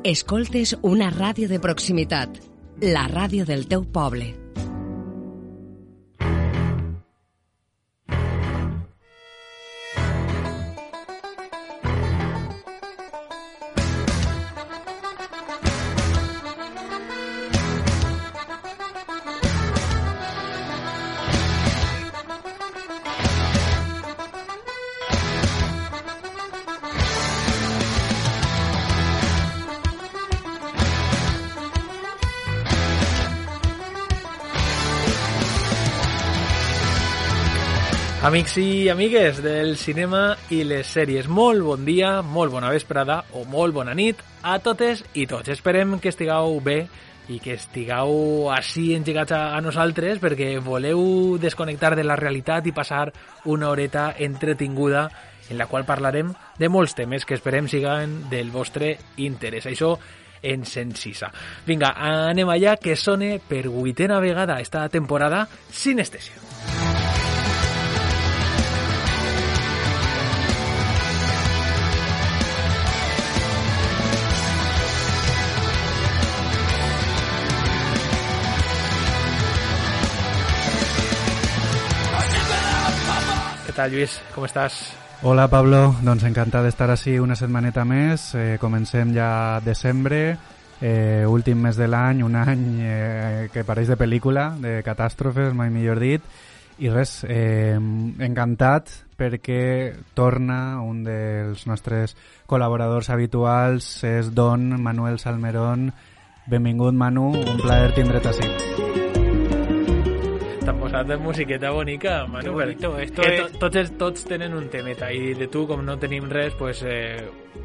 Escoltes una ràdio de proximitat, la ràdio del teu poble. Amics i amigues del cinema i les sèries, molt bon dia, molt bona vesprada o molt bona nit a totes i tots. Esperem que estigueu bé i que estigueu així engegats a nosaltres perquè voleu desconnectar de la realitat i passar una horeta entretinguda en la qual parlarem de molts temes que esperem siguen del vostre interès. Això ens encisa. Vinga, anem allà, que sone per 8a vegada esta temporada Sinestèsia. Què tal, Lluís? Com estàs? Hola, Pablo. Doncs encantat d'estar així una setmaneta més. Comencem ja desembre, últim mes de l'any, un any que pareix de pel·lícula, de catàstrofes, mai millor dit. I res, encantat perquè torna un dels nostres col·laboradors habituals, és Don Manuel Salmerón. Benvingut, Manu, un plaer tindre't així. T'han posat de musiqueta bonica, Manu. Tots tienen un temeta y de tú, como no tenim res, pues...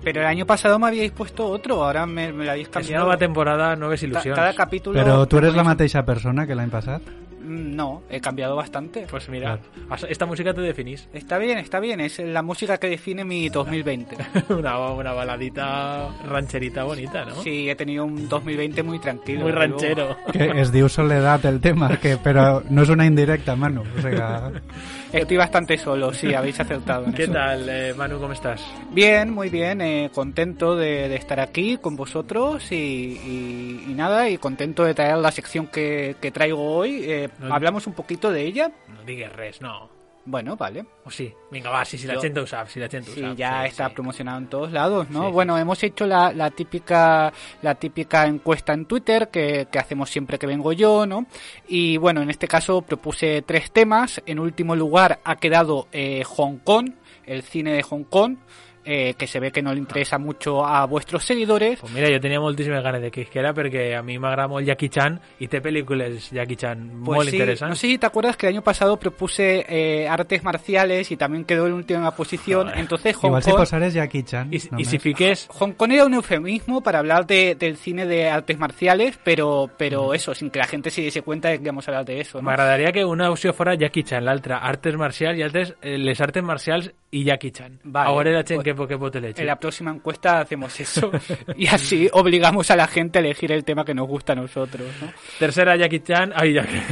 Pero el año pasado me habíais puesto otro, ahora me lo habéis cambiado. Es nueva temporada, nuevas ilusiones. Cada capítulo... Pero tú eres la mateixa persona que l'any passat? No, he cambiado bastante. Pues mira, esta música te definís. Está bien, es la música que define mi 2020. una baladita rancherita bonita, ¿no? Sí, he tenido un 2020 muy tranquilo. Muy ranchero. Que es diu Soledad el tema, pero no es una indirecta, Manu. O sea... Estoy bastante solo, sí, habéis acertado en ¿Qué eso. tal, Manu, cómo estás? Bien, muy bien, contento de estar aquí con vosotros y nada, y contento de traer la sección que traigo hoy. ¿Hablamos un poquito de ella? No digues res, no. Bueno, vale. O sí, venga, va, si la gente ho sap, si la gente ho sap. Sí, ya está promocionado en todos lados, ¿no? Sí, bueno, hemos hecho la típica encuesta en Twitter que hacemos siempre que vengo yo, ¿no? Y bueno, en este caso propuse 3 temas. En último lugar ha quedado Hong Kong, el cine de Hong Kong, que se ve que no le interesa mucho a vuestros seguidores. Pues mira, yo tenía moltíssimes ganes de que isquera perquè a mi m'agrada molt Jackie Chan i té pel·lícules Jackie Chan pues molt sí, interesantes. No sé si te acuerdas que el año pasado propuse artes marciales y también quedó en última posición. Entonces Hong Igual Kong... si posares Jackie Chan. Y si fiques... Hong Kong era un eufemismo para hablar del cine de artes marciales, pero eso, sin que la gente se diese cuenta de que íbamos a hablar de eso, ¿no? M'agradaria que una opció fora Jackie Chan, l'altra artes marcials i altres les artes marcials i Jackie Chan. Vale, ahora la gent pues, que pot elegir. En la próxima encuesta hacemos eso y así obligamos a la gente a elegir el tema que nos gusta a nosotros, ¿no? Tercera Jackie Chan,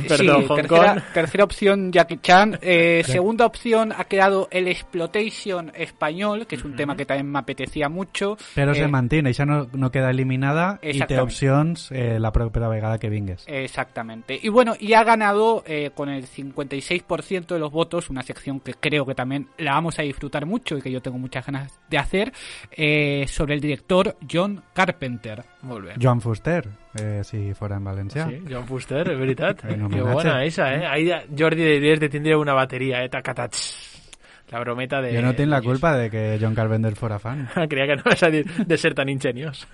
perdón, sí, Hong Kong. Tercera opción Jackie Chan. Segunda opción ha quedado el exploitation español, que es un tema que también me apetecía mucho. Però se mantiene, ja no queda eliminada i té opcions la propera vegada que vingues. Exactamente. Y bueno, y ha ganado con el 56% de los votos, una sección que creo que también la vamos a disfrutar mucho y que yo tengo muchas ganas de hacer, sobre el director John Carpenter. Molt bé. Joan Fuster, si fora en valencià. Sí, Joan Fuster, és veritat. Que bona esa, Ahí Jordi diries de tindre una bateria, tacatats. La brometa de... Jo no tinc la culpa de que John Carpenter fora fan. Creia que no vas a dir de ser tan ingeniós.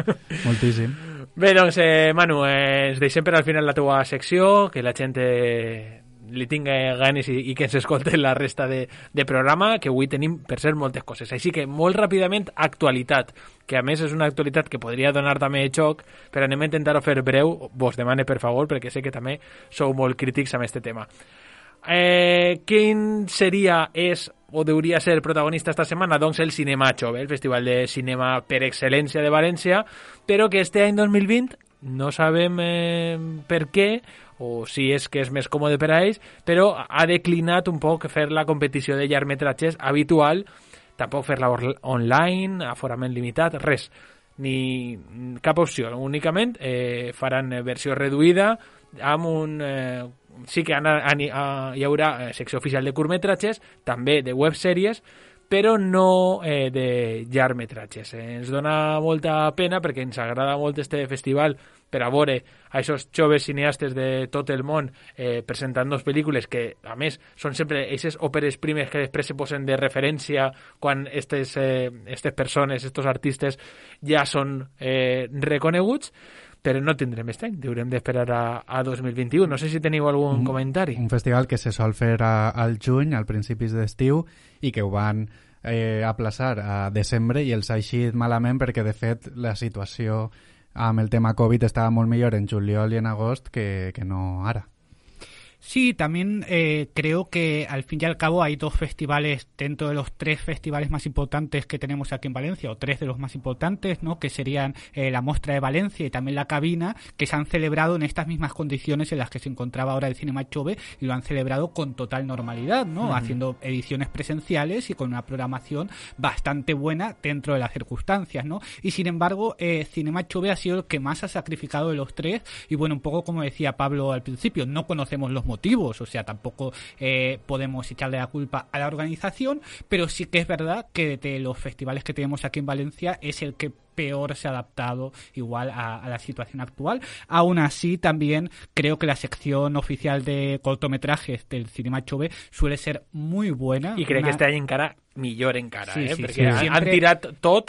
Moltíssim. Bé, doncs, Manu, ens deixem per al final la teua secció, que la gent li tinga ganes i que ens escolti la resta de programa, que avui tenim, per ser, moltes coses. Així que, molt ràpidament, actualitat, que a més és una actualitat que podria donar també xoc, però anem a intentar-ho fer breu, vos demane per favor, perquè sé que també sou molt crítics amb aquest tema. Quin seria, és o hauria ser protagonista esta setmana? Doncs el Cinemacho, el festival de cinema per excel·lència de València, però que este any 2020 no sabem per què, o si és que és més còmode per a ells, però ha declinat un poc fer la competició de llargmetratges habitual, tampoc fer-la online, aforament limitat, res. ni cap opció, únicament faran versió reduïda amb un... sí que hi haurà secció oficial de curtmetratges, també de websèries, però no de llargmetratges. Ens dona molta pena perquè ens agrada molt este festival per a veure a aquests joves cineastes de tot el món presentant dos pel·lícules que, a més, són sempre aquestes òperes primes que després se posen de referència quan aquestes persones, aquests artistes ja són reconeguts, però no tindrem aquest any, haurem d'esperar a 2021. No sé si teniu algun comentari. Un festival que se sol fer al juny, al principis d'estiu, i que ho van aplaçar a desembre i els ha eixit malament perquè, de fet, la situació amb el tema Covid estava molt millor en juliol i en agost que no ara. Sí, también creo que al fin y al cabo hay dos festivales dentro de los tres festivales más importantes que tenemos aquí en Valencia, o tres de los más importantes, ¿no? Que serían la Mostra de Valencia y también la Cabina, que se han celebrado en estas mismas condiciones en las que se encontraba ahora el Cinema Chove, y lo han celebrado con total normalidad, ¿no? Haciendo ediciones presenciales y con una programación bastante buena dentro de las circunstancias, ¿no? Y sin embargo, Cinema Chove ha sido el que más ha sacrificado de los tres, y bueno, un poco como decía Pablo al principio, no conocemos los motivos, o sea, tampoco podemos echarle la culpa a la organización, pero sí que es verdad que de los festivales que tenemos aquí en Valencia es el que peor se ha adaptado igual a la situación actual. Aún así, también creo que la sección oficial de cortometrajes del Cinema Chove suele ser muy buena. I crec que este any encara millor encara, sí, perquè han tirat tot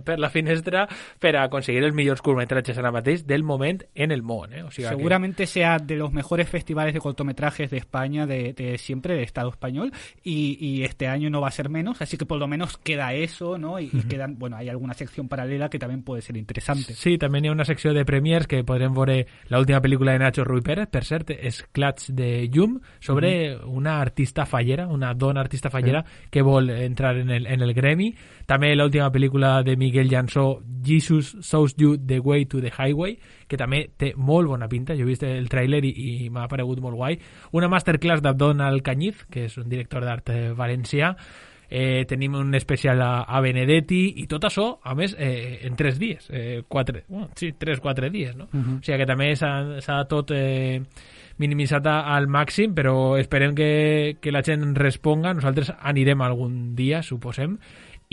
per la finestra per a aconseguir els millors curtmetratges ara mateix del moment en el món. O sigui seguramente sea de los mejores festivales de cortometrajes de España de siempre, del Estado español, y este año no va a ser menos, así que por lo menos queda eso, ¿no? Y quedan, bueno, hay alguna sección paralela que también puede ser interesante. Sí, també hi ha una secció de premiers que podrem veure l'última pel·lícula de Nacho Rui Pérez, per cert, és Clats de Llum, sobre una artista fallera, una dona artista fallera que vol entrar en el gremi. També l'última pel·lícula de Miguel Jansó, Jesus Shows You the Way to the Highway, que també té molt bona pinta. Jo he vist el tràiler i m'ha paregut molt guai. Una masterclass d'Abdon Cañiz, que és un director d'art valencià. Tenim un especial a Benedetti i tot això, a més, en 3 dies. 3-4 dies, no? O sigui que també s'ha tot minimitzat al màxim, però esperem que la gent responga. Nosaltres anirem algun dia, suposem,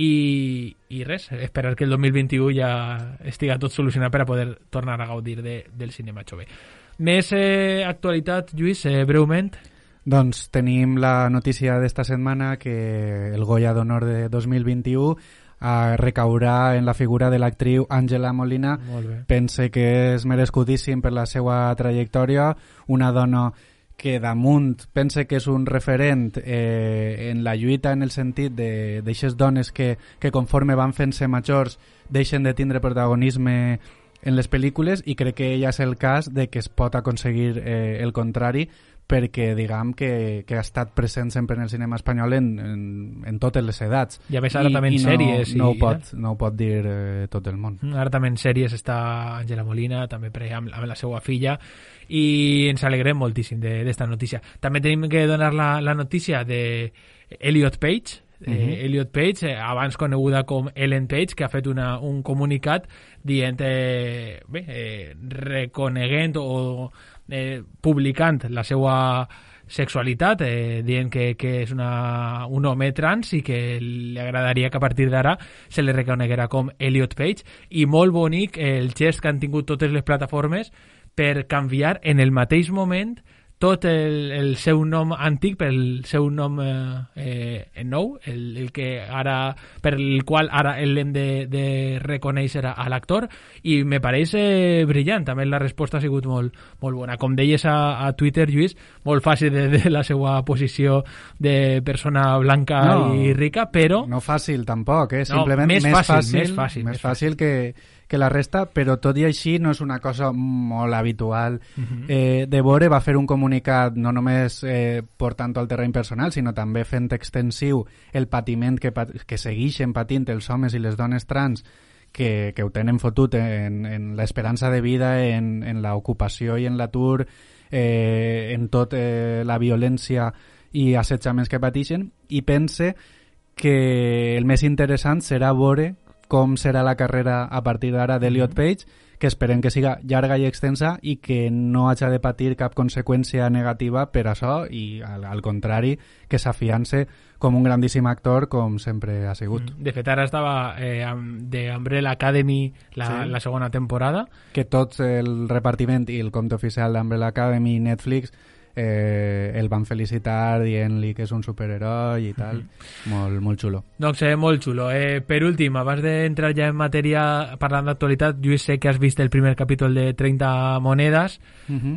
i res, esperar que el 2021 ja estiga tot solucionat per a poder tornar a gaudir del cinema Chove. Més actualitat, Lluís, breument? Doncs tenim la notícia d'esta setmana que el Goya d'Honor de 2021 recaurà en la figura de l'actriu Àngela Molina. Pense que és merescudíssim per la seva trajectòria, una dona que damunt pense que és un referent en la lluita, en el sentit d'aixes dones que conforme van fent-se majors deixen de tindre protagonisme en les pel·lícules, i crec que ja és el cas de que es pot aconseguir el contrari, perquè diguem que ha estat present sempre en el cinema espanyol en totes les edats. I a més ara també en sèries. No ho pot dir tot el món. Ara també en sèries està Àngela Molina, també amb la seva filla, i ens alegrem moltíssim d'esta notícia. També tenim que donar la notícia de Elliot Page, Elliot Page, abans coneguda com Ellen Page, que ha fet un comunicat dient, reconeguent o publicant la seva sexualitat, dient que és un home trans i que li agradaria que a partir d'ara se li reconeguera com Elliot Page, i molt bonic el gest que han tingut totes les plataformes per canviar en el mateix moment tot el seu nom antic pel seu nom nou, el que ara, per el qual ara l'hem de reconèixer a l'actor, i me pareix brillant. També la resposta ha sigut molt bona. Com deies a Twitter, Lluís, molt fàcil de la seva posició de persona blanca i rica, però... No fàcil tampoc, simplement més fàcil que la resta, però tot i així no és una cosa molt habitual. De veure, va fer un comunicat no només portant al terreny personal, sinó també fent extensiu el patiment que segueixen patint els homes i les dones trans que ho tenen fotut en l'esperança de vida, en l'ocupació i en l'atur, en tot la violència i assetjaments que pateixen, i pense que el més interessant serà veure com serà la carrera a partir d'ara d'Elliot Page, que esperem que siga llarga i extensa i que no hagi de patir cap conseqüència negativa per això i, al contrari, que s'afiance com un grandíssim actor com sempre ha sigut. De fet, ara estava de Umbrella Academy la segona temporada. Que tots el repartiment i el compte oficial d'Umbrella Academy i Netflix el van felicitar dient-li que és un superheroi i tal. Molt, molt xulo. Doncs molt xulo. Per últim, abans d'entrar ja en matèria parlant d'actualitat, jo sé que has vist el primer capítol de 30 monedes.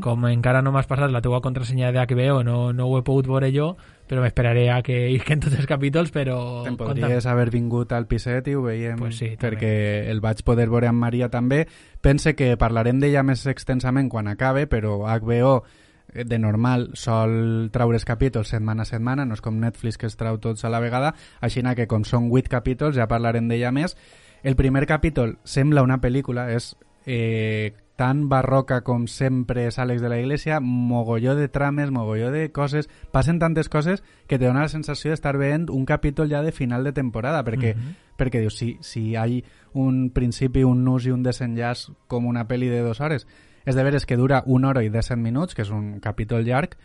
Com encara no m'has passat la teua contrasenya de HBO, no ho he pogut veure jo, però m'esperaré a que isquen tots els capítols, però... Te'n podries haver vingut al piset i ho veiem, pues sí, perquè el vaig poder veure amb Maria també. Pense que parlarem d'ella més extensament quan acabe, però HBO de normal sol traure els capítols setmana a setmana, no és com Netflix que es trau tots a la vegada, així que com són 8 capítols ja parlarem d'ella més. El primer capítol sembla una pel·lícula, és tan barroca com sempre és Àlex de la Iglesia, mogolló de trames, mogolló de coses, passen tantes coses que te dona la sensació d'estar veient un capítol ja de final de temporada, perquè dius, si hi ha un principi, un nus i un desenllaç com una pel·li de 2 hores, és de veres que dura 1 hora i 17 minuts, que és un capítol llarg,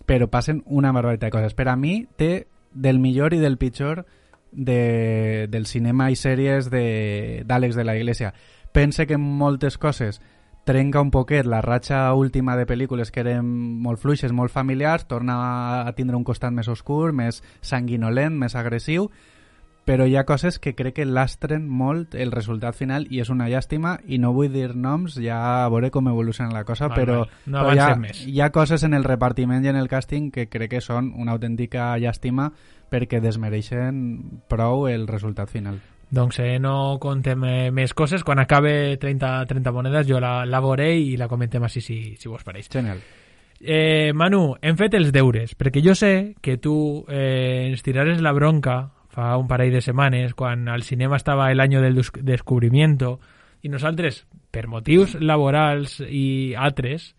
però passen una barbaritat de coses. Per a mi té del millor i del pitjor del cinema i sèries d'Àlex de la Iglesia. Pense que en moltes coses trenca un poquet la ratxa última de pel·lícules que eren molt fluixes, molt familiars, torna a tindre un costat més oscur, més sanguinolent, més agressiu, però hi ha coses que crec que lastren molt el resultat final i és una llàstima, i no vull dir noms, ja a veure com evoluciona la cosa, però hi ha coses en el repartiment i en el càsting que crec que són una autèntica llàstima perquè desmereixen prou el resultat final. Doncs no contem més coses. Quan acabe 30 monedes jo la veuré i la comentem així si vos pareix. Genial. Manu, hem fet els deures, perquè jo sé que tu ens tirares la bronca fa un parell de setmanes, quan al cinema estava el año del descubrimiento, i nosaltres, per motius laborals i altres,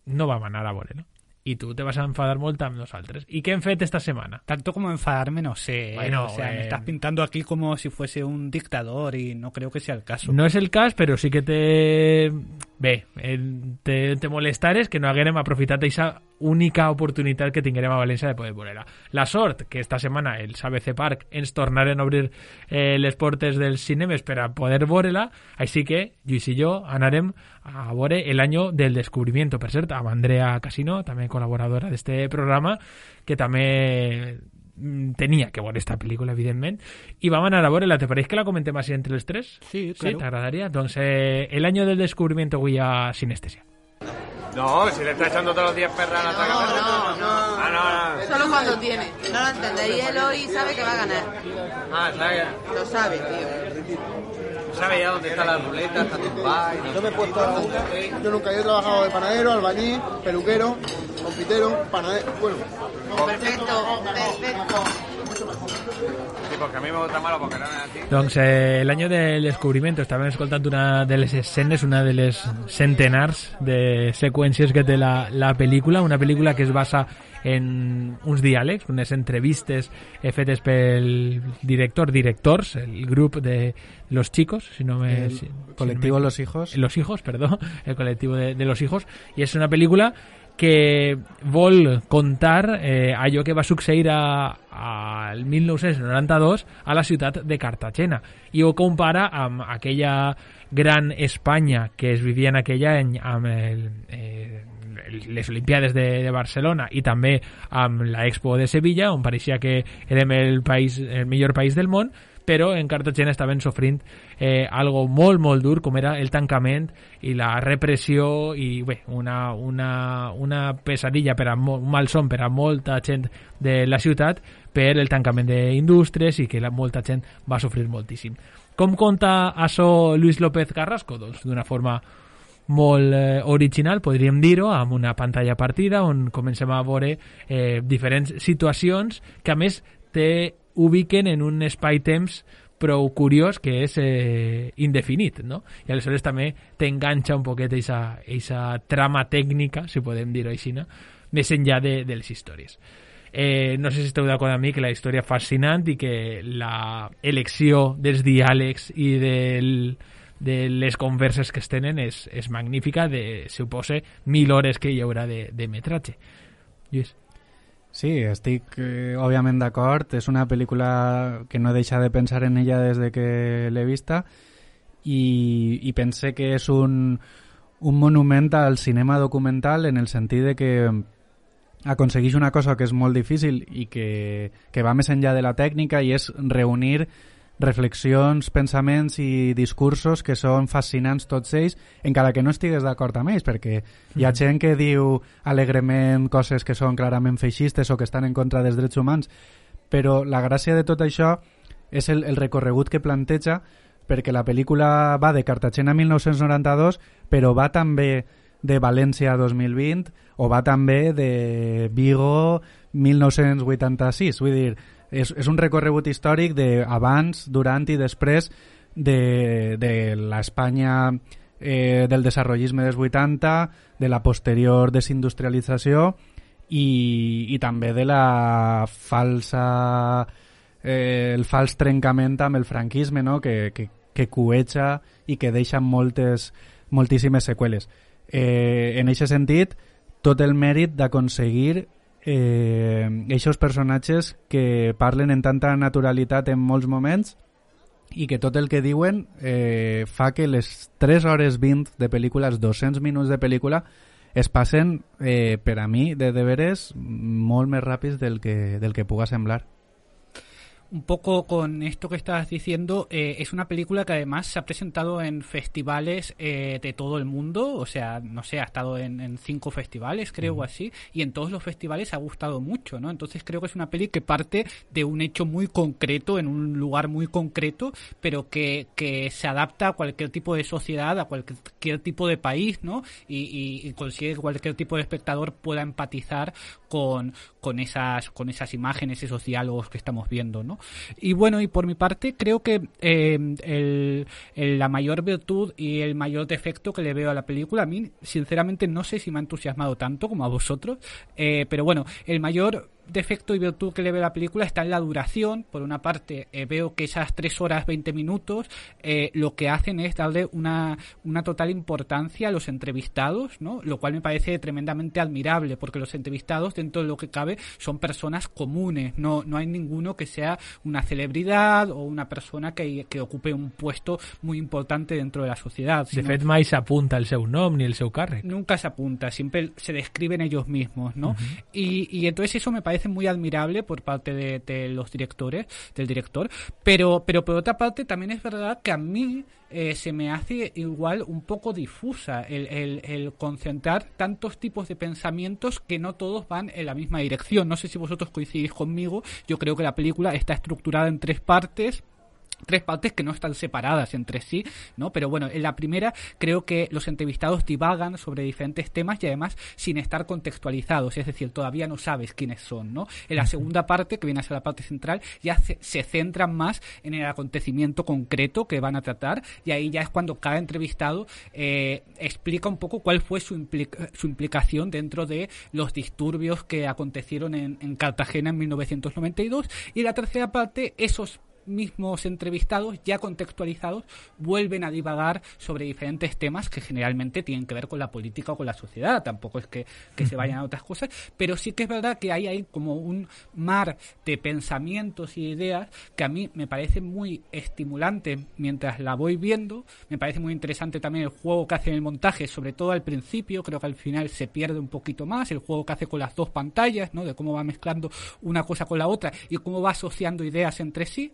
no vam anar a veure-lo. Y tú te vas a enfadar molt amb nosaltres. ¿Y qué hem fet esta semana? Tanto como enfadarme, no sé. Bueno, me estás pintando aquí como si fuese un dictador y no creo que sea el caso. No és el cas, però sí que te molestares que no haguérem aprofitat aquesta única oportunitat que tinguérem a València de poder veure-la. La sort que esta setmana els ABC Park ens tornaren a obrir les portes dels cinemes per a poder veure-la, així que Lluís i jo anarem a veure El año del descubrimiento, per cert, amb Andrea Casino, també col·laboradora d'este programa, que també tenia que veure esta pel·lícula, evidentment, i vam anar a veure-la. ¿Te pareix que la comentem així entre els tres? Sí, claro. ¿Sí? ¿T'agradaria? Doncs El año del descubrimiento avui a Sinestesia. No, si le está echando todos los días perra a la taca. No. Solo cuando tiene. No lo entendéis. Él hoy sabe que va a ganar. ¿Sabe? Lo sabe, tío. ¿Sabe ya dónde está la ruleta? Está tumbada. Yo me he puesto a una. Yo nunca he trabajado de panadero, albañil, peluquero, confitero, panadero. Bueno. Perfecto. Sí, porque a mí me gusta malo porque no es así. Doncs el año del descubrimiento, estàvem escoltant una de les escenes, una de les centenars de seqüències que té la pel·lícula, una pel·lícula que es basa en uns diàlegs, unes entrevistes fetes pel directors, el grup de Los Chicos, colectivo Los Hijos. Los Hijos, perdó, el colectivo de Los Hijos, i és una pel·lícula que vol contar allò que va succeir al 1992 a la ciutat de Cartagena, i ho compara amb aquella gran Espanya que es vivia en aquell any amb les Olimpiades de Barcelona i també amb la Expo de Sevilla, on pareixia que érem el millor país del món, però en Cartagena estaven sofrint algo molt, molt dur, com era el tancament i la repressió, i bé, una pesadilla, un malson per a molta gent de la ciutat per el tancament d'indústries, i que molta gent va sofrir moltíssim. Com conta això Luis López Carrasco? Doncs d'una forma molt original, podríem dir-ho, amb una pantalla partida on comencem a veure diferents situacions que a més ubiquen en un espai-temps prou curiós, que és indefinit, no? I aleshores també t'enganxa un poquet aquesta trama tècnica, si podem dir-ho així, no? Més enllà de les històries. No sé si esteu d'acord amb mi que la història fascinant i que la elecció dels diàlegs i de les converses que es tenen és magnífica, suposa 1.000 hores que hi haurà de metratge. Lluís. Sí, estic òbviament d'acord. És una pel·lícula que no deixa de pensar en ella des de que l'he vista i pense que és un monument al cinema documental en el sentit de que aconsegueix una cosa que és molt difícil i que va més enllà de la tècnica, i és reunir reflexions, pensaments i discursos que són fascinants tots ells, encara que no estigues d'acord amb ells, perquè hi ha gent que diu alegrement coses que són clarament feixistes o que estan en contra dels drets humans, però la gràcia de tot això és el recorregut que planteja, perquè la pel·lícula va de Cartagena 1992, però va també de València 2020 o va també de Vigo 1986. Vull dir, és un recorregut històric d'abans, durant i després de l'Espanya del desarrollisme dels 80, de la posterior desindustrialització i també de la el fals trencament amb el franquisme, no? que cueja i que deixa moltíssimes seqüeles. En aquest sentit, tot el mèrit d'aconseguir eixos personatges que parlen en tanta naturalitat en molts moments i que tot el que diuen fa que les 3 hores 20 de pel·lícula, els 200 minuts de pel·lícula, es passen, per a mi, de veres, molt més ràpids del que puga semblar. Un poco con esto que estabas diciendo, es una película que además se ha presentado en festivales de todo el mundo, o sea, no sé, ha estado en 5 festivales, creo, o así, y en todos los festivales ha gustado mucho, ¿no? Entonces creo que es una peli que parte de un hecho muy concreto, en un lugar muy concreto, pero que se adapta a cualquier tipo de sociedad, a cualquier tipo de país, ¿no? Y consigue que cualquier tipo de espectador pueda empatizar con esas imágenes, esos diálogos que estamos viendo, ¿no? Y bueno, y por mi parte creo que la mayor virtud y el mayor defecto que le veo a la película, a mí sinceramente no sé si me ha entusiasmado tanto como a vosotros, pero bueno, el mayor defecto y virtud que le veo a la película está en la duración. Por una parte, veo que esas 3 horas 20 minutos lo que hacen es darle una total importancia a los entrevistados, ¿no? Lo cual me parece tremendamente admirable, porque los entrevistados, dentro de lo que cabe, son personas comunes, no hay ninguno que sea una celebridad o una persona que ocupe un puesto muy importante dentro de la sociedad. De fet, mai s'apunta el seu nom ni el seu càrrec. Nunca se apunta, siempre se describen ellos mismos, ¿no? Y entonces eso me parece muy admirable por parte de los directores, del director, pero por otra parte también es verdad que a mí se me hace igual un poco difusa el concentrar tantos tipos de pensamientos que no todos van en la misma dirección. No sé si vosotros coincidís conmigo, yo creo que la película está estructurada en 3 partes que no están separadas entre sí, ¿no? Pero bueno, en la primera creo que los entrevistados divagan sobre diferentes temas y además sin estar contextualizados, es decir, todavía no sabes quiénes son, ¿no? En la segunda parte, que viene a ser la parte central, ya se centran más en el acontecimiento concreto que van a tratar, y ahí ya es cuando cada entrevistado explica un poco cuál fue su implicación dentro de los disturbios que acontecieron en Cartagena en 1992, y en la tercera parte esos mismos entrevistados ya contextualizados vuelven a divagar sobre diferentes temas que generalmente tienen que ver con la política o con la sociedad. Tampoco es que se vayan a otras cosas, pero sí que es verdad que hay como un mar de pensamientos y ideas que a mí me parece muy estimulante mientras la voy viendo. Me parece muy interesante también el juego que hace en el montaje, sobre todo al principio. Creo que al final se pierde un poquito más el juego que hace con las 2 pantallas, ¿no? De cómo va mezclando una cosa con la otra y cómo va asociando ideas entre sí.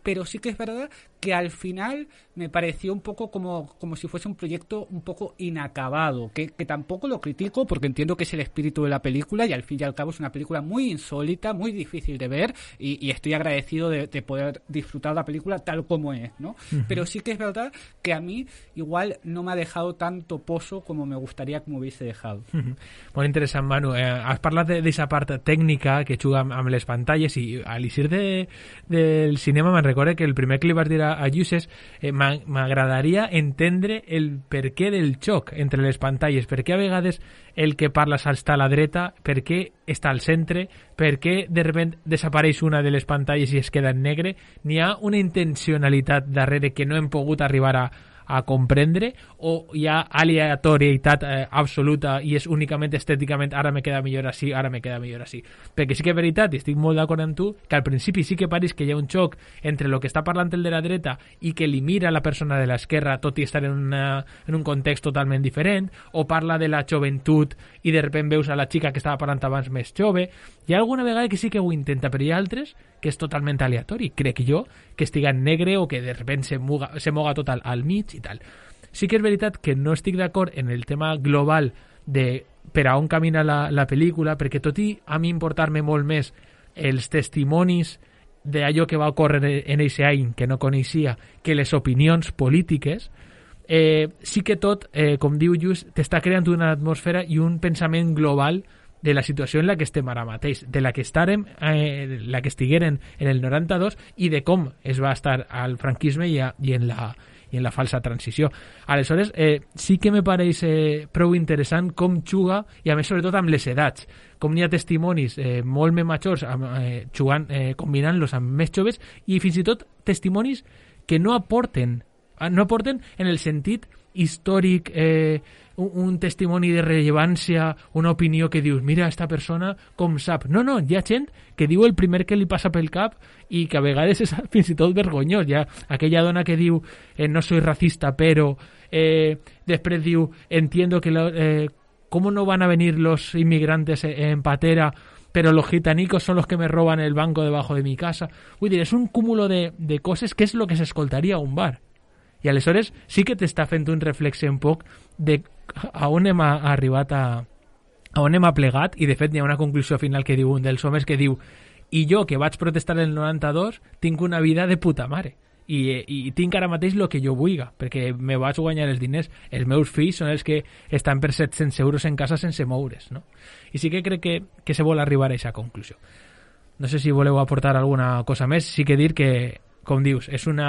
Pero sí que es verdad que al final me pareció un poco como si fuese un proyecto un poco inacabado, que tampoco lo critico porque entiendo que es el espíritu de la película y al fin y al cabo es una película muy insólita, muy difícil de ver y estoy agradecido de poder disfrutar la película tal como es, ¿no? Pero sí que es verdad que a mí igual no me ha dejado tanto pozo como me gustaría que me hubiese dejado. Molt interessant, Manu. Has parlat d'esa part tècnica que juga amb les pantalles i a l'eixir del cinema me'n recordo que el primer que li vas dir a Lluces m'agradaria entendre el perquè del xoc entre les pantalles, per què a vegades el que parla està a la dreta, per què està al centre, per què de sobte desapareix una de les pantalles i es queda en negre. N'hi ha una intencionalitat darrere que no hem pogut arribar a comprendre, o hi ha aleatorietat absoluta i és únicament estèticament ara me queda millor així, ara me queda millor així. Perquè sí que és veritat, i estic molt d'acord amb tu, que al principi sí que pareix que hi ha un xoc entre el que està parlant el de la dreta i que li mira la persona de l'esquerra, tot i estar en un context totalment diferent, o parla de la joventut i de sobte veus a la xica que estava parlant abans més jove. Hi ha alguna vegada que sí que ho intenta, però hi ha altres que és totalment aleatori, crec jo, que estiga en negre o que de sobte se moga tot al mig i tal. Sí que és veritat que no estic d'acord en el tema global de per a on camina la pel·lícula, perquè tot i a mi importar-me molt més els testimonis d'allò que va ocórrer en aquest any que no coneixia que les opinions polítiques, sí que tot, com diu Lluís, t'està creant una atmosfera i un pensament global de la situació en la que estem ara mateix, de la que la que estigueren en el 92 i de com es va estar al franquisme i en la falsa transició. Aleshores, sí que me pareix prou interessant com juga, i a més sobretot amb les edats, com n'hi ha testimonis molt més majors jugant, combinant-los amb més joves, i fins i tot testimonis que no aporten en el sentit històric, un testimoni de rellevància, una opinió que dius, mira, esta persona com sap. No, hi ha gent que diu el primer que li passa pel cap i que a vegades és fins i tot vergonyós. Hi ha aquella dona que diu, no soy racista, però després diu, entiendo que cómo no van a venir los inmigrantes en patera, pero los gitanicos son los que me roban el banco debajo de mi casa. Vull dir, és un cúmulo de coses que és el que s'escoltaria a un bar. I aleshores sí que t'està fent un reflexe un poc de a on hem arribat, a on hem plegat, i de fet hi ha una conclusió final que diu un dels homes que diu, i jo que vaig protestar el 92 tinc una vida de puta mare i tinc ara mateix el que jo vulga, perquè me vaig guanyar els diners, els meus fills són els que estan per 700 euros en casa sense moure's, no? I sí que crec que se vol arribar a aquesta conclusió. No sé si voleu aportar alguna cosa més. Sí que dir que, com dius, és un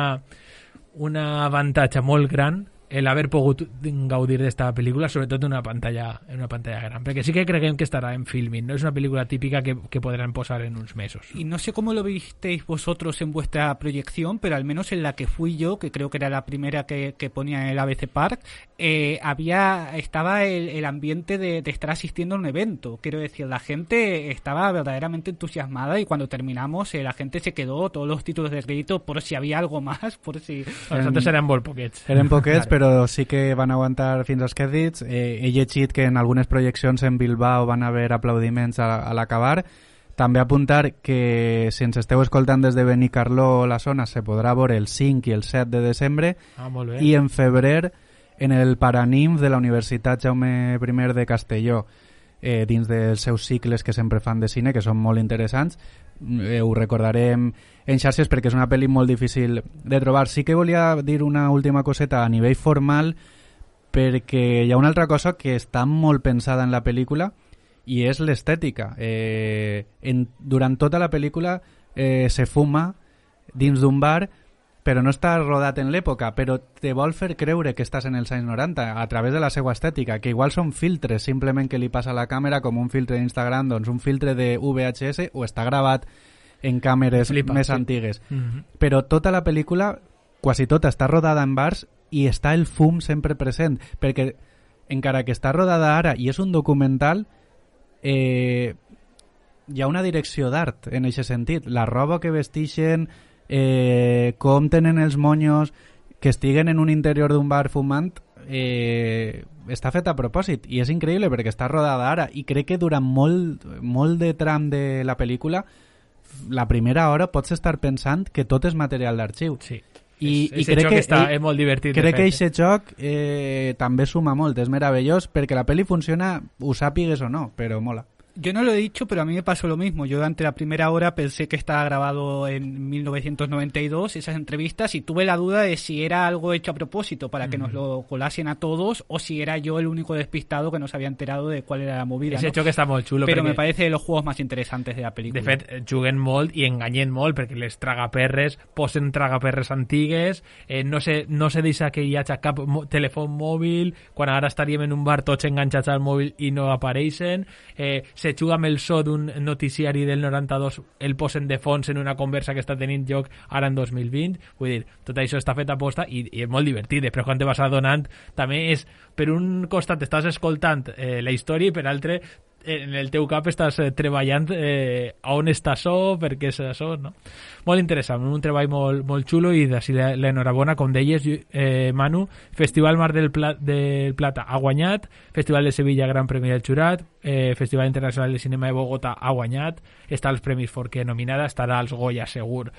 avantatge molt gran el haver pogut gaudir d'esta pel·lícula, sobretot en una pantalla gran, perquè sí que creguem que estarà en filming, no es una película típica que podrán posar en unos meses. Y no sé cómo lo visteis vosotros en vuestra proyección, pero al menos en la que fui yo, que creo que era la primera que ponía en el ABC Park, estaba el ambiente de estar asistiendo a un evento. Quiero decir, la gente estaba verdaderamente entusiasmada, y cuando terminamos la gente se quedó todos los títulos de crédito por si había algo más, por si... Nosaltres eren molt poquets. Eren poquets, claro. Però sí que van aguantar fins als crèdits. He llegit que en algunes projeccions en Bilbao van haver aplaudiments a l'acabar. També apuntar que si ens esteu escoltant des de Benicarló o la zona se podrà veure el 5 i el 7 de desembre, molt bé. I en febrer en el Paraninf de la Universitat Jaume I de Castelló, dins dels seus cicles que sempre fan de cine, que són molt interessants. Ho recordarem en xarxes perquè és una pel·li molt difícil de trobar. Sí que volia dir una última coseta a nivell formal, perquè hi ha una altra cosa que està molt pensada en la pel·lícula i és l'estètica. Durant tota la pel·lícula se fuma dins d'un bar, però no està rodat en l'època, però te vol fer creure que estàs en els anys 90 a través de la seva estètica, que igual són filtres simplement que li passa a la càmera, com un filtre d'Instagram, doncs un filtre de VHS, o està gravat en càmeres més antigues. Però tota la pel·lícula, quasi tota, està rodada en bars i està el fum sempre present, perquè encara que està rodada ara i és un documental, hi ha una direcció d'art en aquest sentit. La roba que vestixen, com tenen els monyos, que estiguen en un interior d'un bar fumant, està fet a propòsit i és increïble perquè està rodada ara, i crec que durant molt de tram de la pel·lícula, la primera hora pots estar pensant que tot és material d'arxiu. Sí. I crec que és molt divertit. Crec que aquest joc també suma molt, és meravellós perquè la pel·li funciona, ho sàpigues o no, però mola. Yo no lo he dicho, pero a mí me pasó lo mismo. Yo durante la primera hora pensé que estaba grabado en 1992, esas entrevistas, y tuve la duda de si era algo hecho a propósito para que nos lo colasen a todos, o si era yo el único despistado que no se había enterado de cuál era la movida. Ese hecho que està molt xulo. Pero me parece de los juegos más interesantes de la película. De fet, juguen molt i enganyen molt, perquè les tragaperres posen tragaperres antigues, no se deixa que hi hagi cap telèfon mòbil, quan ara estaríem en un bar tots enganxats al mòbil i no apareixen, se juga amb el so d'un noticiari del 92, el posen de fons en una conversa que està tenint lloc ara en 2020, vull dir, tot això està fet a posta i és molt divertit. Després quan te vas adonant, també és, per un costat estàs escoltant la història i per altre en el teu cap estàs treballant a on està això, per què és això, no? Molt interessant, un treball molt xulo i d'ací l'enhorabona, com deies, Manu. Festival Mar del Plata ha guanyat, Festival de Sevilla Gran Premi del Jurat, Festival Internacional de Cinema de Bogotà ha guanyat, està als Premis Forqué nominada, estarà als Goya segur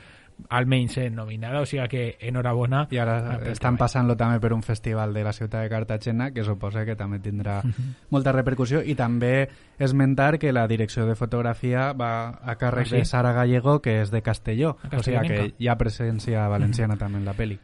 almenys nominada, o sigui que enhorabona. I ara estan passant-lo també per un festival de la ciutat de Cartagena, que suposa que també tindrà molta repercussió, i també esmentar que la direcció de fotografia va a càrrec de Sara Gallego, que és de Castelló, o sigui que hi ha presència valenciana també en la pel·li.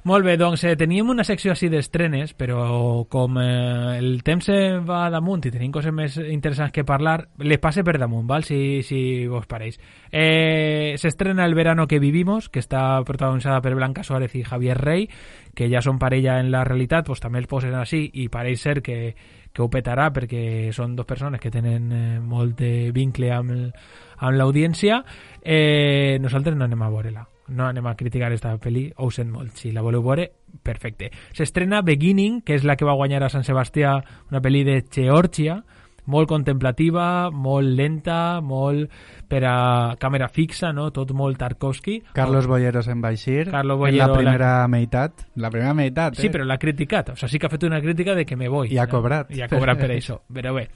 Molt bé, doncs teníem una secció així d'estrenes, però com el temps va damunt i tenim coses més interessants que parlar, les passe per damunt, val? Si vos pareix. S'estrena El verano que vivimos, que està protagonizada per Blanca Suárez i Javier Rey, que ja són parella en la realitat, doncs també els posen així i pareix ser que ho petarà perquè són dos persones que tenen molt de vincle amb l'audiència. Nosaltres no anem a veure-la. No anem a criticar esta pel·li, ho sent molt. Si la voleu veure, perfecte. S'estrena Beginning, que és la que va guanyar a Sant Sebastià, una pel·li de Geòrgia, molt contemplativa, molt lenta, molt per a càmera fixa, no? Tot molt Tarkovsky. Carlos Bollero se'n va eixir en la primera meitat. La primera meitat, Sí, però l'ha criticat. O sigui, sí que ha fet una crítica de que me voy. I ha cobrat. I ha cobrat per això. Però bé,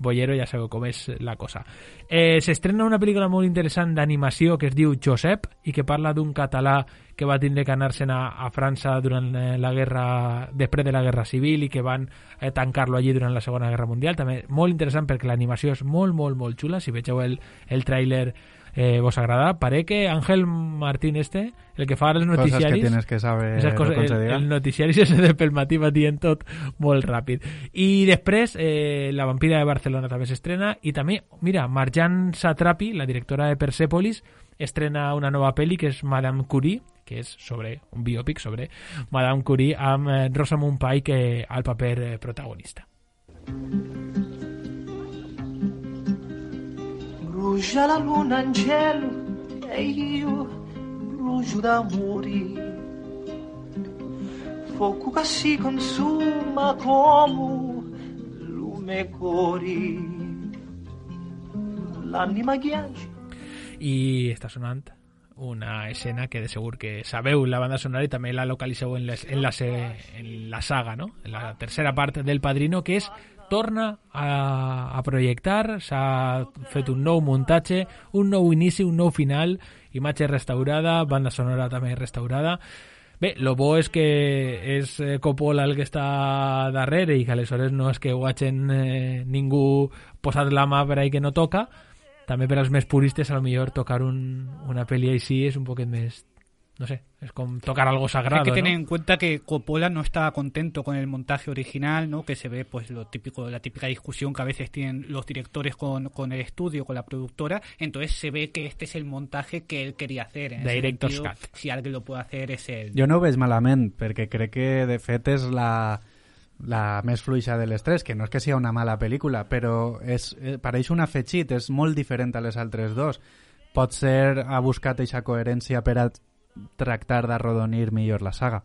Bollero ja sabeu com és la cosa. S'estrena una pel·lícula molt interessant d'animació que es diu Josep i que parla d'un català que va tindre que anar-se'n a França durant la guerra, després de la Guerra Civil, i que van tancar-lo allí durant la Segona Guerra Mundial. També molt interessant perquè l'animació és molt, molt, molt xula. Si vegeu el tràiler vos agrada. Parece que Ángel Martín el que fa els noticiaris... Coses que tienes que saber concedigar. El noticiaris és de pel matí va dient tot molt ràpid. I després La vampira de Barcelona també s'estrena, i també, mira, Marjan Satrapi, la directora de Persepolis, estrena una nova pel·li que és Madame Curie, que és sobre un biòpic sobre Madame Curie amb Rosamund Pike al paper protagonista. Brucia la luna in cielo e io brucio d'amore, fuoco che si consuma come lume cori, l'anima ghiaccia. I està sonant una escena que de segur que sabeu la banda sonora i també la localitzeu en la saga, no? En la tercera part del Padrino, que és torna a projectar, s'ha fet un nou muntatge, un nou inici, un nou final, imatge restaurada, banda sonora també restaurada. Bé, lo bo és que és Coppola el que està darrere i que aleshores no és que ho hagin ningú posat la mà per ahí que no toca. També per als més puristes, a lo millor tocar una pel·li així és un poquet més, no sé, es como tocar algo sagrado. Hay que tener ¿no? en cuenta que Coppola no estaba contento con el montaje original, ¿no? Que se ve pues lo típico, la típica discusión que a veces tienen los directores con el estudio, con la productora. Entonces se ve que este es el montaje que él quería hacer. En Director's sentido, Cut. Si alguien lo puede hacer es él. Jo no ho veig malament, perquè crec que de fet és la més fluixa de les tres, que no és que sigui una mala pel·lícula, però pareix un afegit, és molt diferent a les altres dos. Potser ha buscat aquesta coherència per a tractar d'arrodonir millor la saga.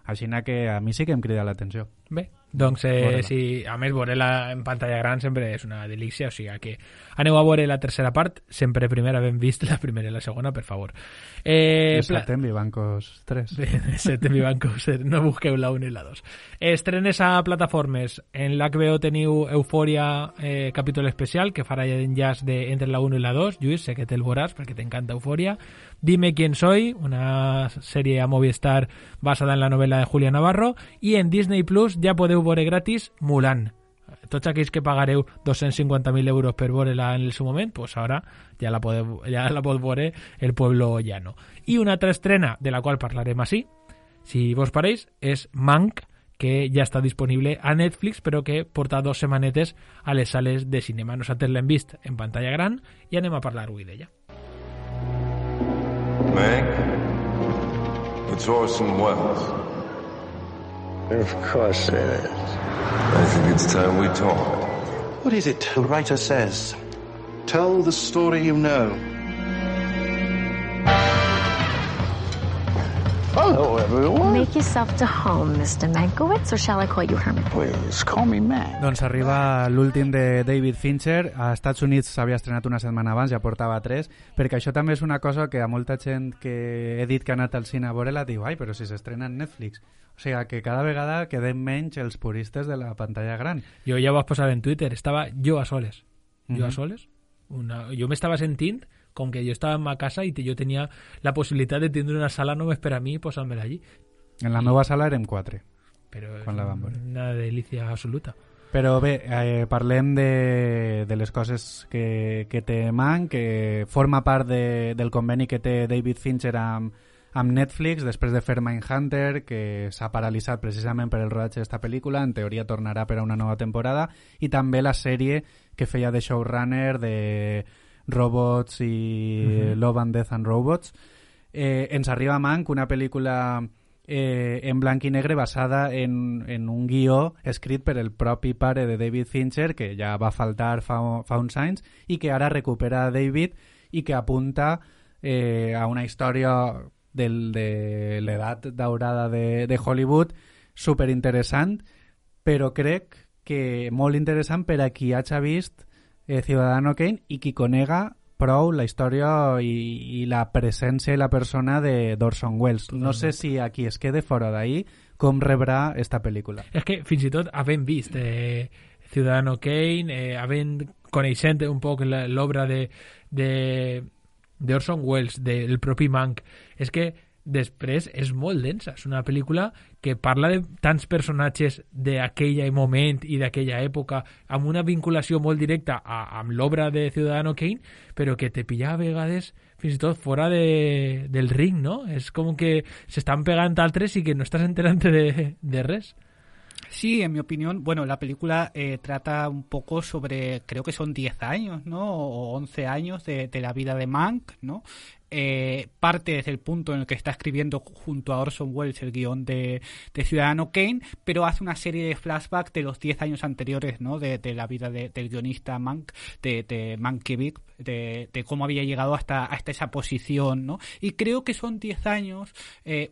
Així que a mi sí que em crida l'atenció. Bé, doncs sí, a més veure-la en pantalla gran sempre és una delícia, o sigui que aneu a veure la tercera part, sempre primera ben vist la primera i la segona, per favor. Setem Vivancos 3. Setem Vivancos, no busqueu la 1 i la 2. Estrenes a plataformes. En l'HBO teniu Eufòria capítol especial, que farà enllaç entre la 1 i la 2. Lluís, sé que te'l veuràs perquè t'encanta Eufòria. Dime quién soy, una sèrie a Movistar basada en la novela de Julia Navarro, i en Disney Plus ja podeu veure gratis Mulan. tots aquells que pagareu 250.000 euros per veure-la en el seu moment, pues ara ja la pot veure el Pueblo Llano. I una altra estrena, de la qual parlarem així, si vos pareix, és Mank, que ja està disponible a Netflix, però que porta 2 setmanetes a les sales de cinema. Nosaltres l'hem vist en pantalla gran i anem a parlar avui d'ella. Mank, it's Orson Welles. Of course it is. I think it's time we talk. What is it the writer says? Tell the story you know. Hello, everyone. Make yourself to home, Mr. Mankiewicz, or shall I call you Herman? Please, call me Mac. Doncs arriba l'últim de David Fincher. A Estats Units s'havia estrenat una setmana abans, ja portava 3, perquè això també és una cosa que a molta gent que he dit que ha anat al cine a veure-la diu, ai, però si s'estrena en Netflix. O sigui, que cada vegada quedem menys els puristes de la pantalla gran. Jo ja ho vaig posar en Twitter, estava jo a soles. Jo a soles. Jo m'estava sentint com que jo estava en ma casa i jo tenia la possibilitat de tindre una sala només per a mi i posar-me-la allí. En la meva sala érem 4, però quan la vam veure. Una delícia absoluta. Però bé, parlem de les coses que té Mank, que forma part del conveni que té David Fincher amb Netflix després de fer Mindhunter, que s'ha paralitzat precisament per el rodatge d'esta pel·lícula. En teoria tornarà per a una nova temporada, i també la sèrie que feia de showrunner de Robots i Love and Death and Robots. Ens arriba Mank, una pel·lícula en blanc i negre basada en un guió escrit per el propi pare de David Fincher, que ja va faltar fa uns anys i que ara recupera David i que apunta a una història de l'edat daurada de Hollywood superinteressant, però crec que molt interessant per a qui hagi vist Ciudadano Kane i qui conega prou la història i la presència i la persona d'Orson Welles. No sé si a qui es quede fora d'ahir com rebrà esta pel·lícula. És que fins i tot havent vist Ciudadano Kane, coneixent un poc l'obra d'Orson Welles, del propi Mank, és que després és molt densa. És una pel·lícula que parla de tants personatges d'aquell moment i d'aquella època, amb una vinculació molt directa amb l'obra de Ciudadano Kane, però que te pilla a vegades fins i tot fora del ring, no? És com que s'estan pegant altres i que no estàs enterant de res. Sí, en mi opinión, bueno, la película trata un poco sobre, creo que son 10 años, ¿no? O 11 años de la vida de Mank, ¿no? Parte desde el punto en el que está escribiendo junto a Orson Welles el guión de Ciudadano Kane, pero hace una serie de flashbacks de los 10 años anteriores, ¿no? De la vida del guionista Mank, de Mankiewicz, de cómo había llegado hasta esa posición, ¿no? Y creo que son 10 años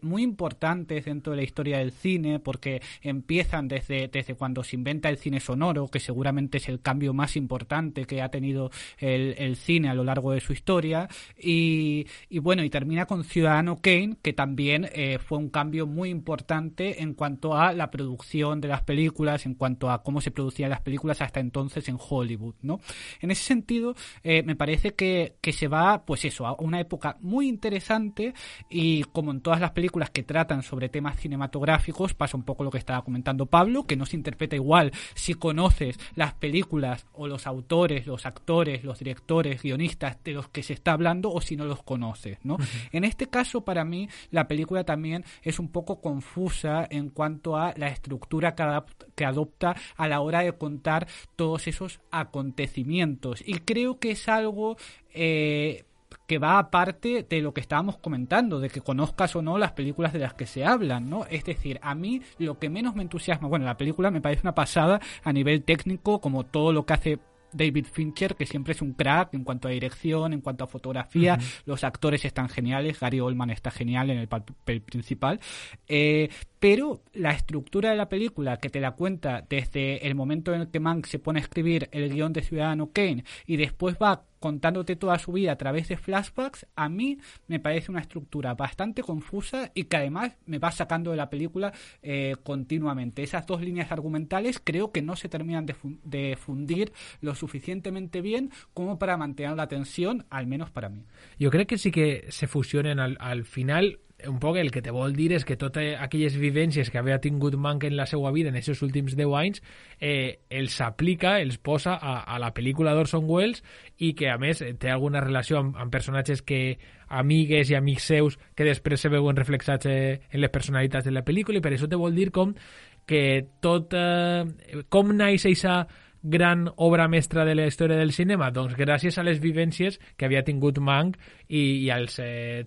muy importantes dentro de la historia del cine, porque empiezan desde cuando se inventa el cine sonoro, que seguramente es el cambio más importante que ha tenido el cine a lo largo de su historia, y bueno, y termina con Ciudadano Kane, que también fue un cambio muy importante en cuanto a la producción de las películas, en cuanto a cómo se producían las películas hasta entonces en Hollywood, ¿no? En ese sentido, me parece que se va, pues eso, a una época muy interesante, y como en todas las películas que tratan sobre temas cinematográficos, pasa un poco lo que estaba comentando Pablo, que no se interpreta igual si conoces las películas o los autores, los actores, los directores, guionistas de los que se está hablando, o si no los conoces, ¿no? En este caso, para mí, la película también es un poco confusa en cuanto a la estructura que adopta a la hora de contar todos esos acontecimientos, y creo que es algo que va aparte de lo que estábamos comentando, de que conozcas o no las películas de las que se hablan, ¿no? Es decir, a mí lo que menos me entusiasma, bueno, la película me parece una pasada a nivel técnico, como todo lo que hace David Fincher, que siempre es un crack en cuanto a dirección, en cuanto a fotografía, los actores están geniales, Gary Oldman está genial en el papel principal, pero la estructura de la película, que te la cuenta desde el momento en el que Mank se pone a escribir el guión de Ciudadano Kane y después va contándote toda su vida a través de flashbacks, a mí me parece una estructura bastante confusa y que además me va sacando de la película continuamente. Esas dos líneas argumentales creo que no se terminan de fundir lo suficientemente bien como para mantener la tensión, al menos para mí. Jo crec que sí que se fusionen al final. un poc el que te vol dir és que totes aquelles vivències que havia tingut Mank en la seva vida en aquests últims 10 anys els aplica, els posa a la pel·lícula d'Orson Welles i que a més té alguna relació amb personatges que amigues i amics seus que després se veuen reflexats en les personalitats de la pel·lícula i per això te vol dir com que tot com naix aquesta gran obra mestra de la història del cinema? Doncs gràcies a les vivències que havia tingut Mank i als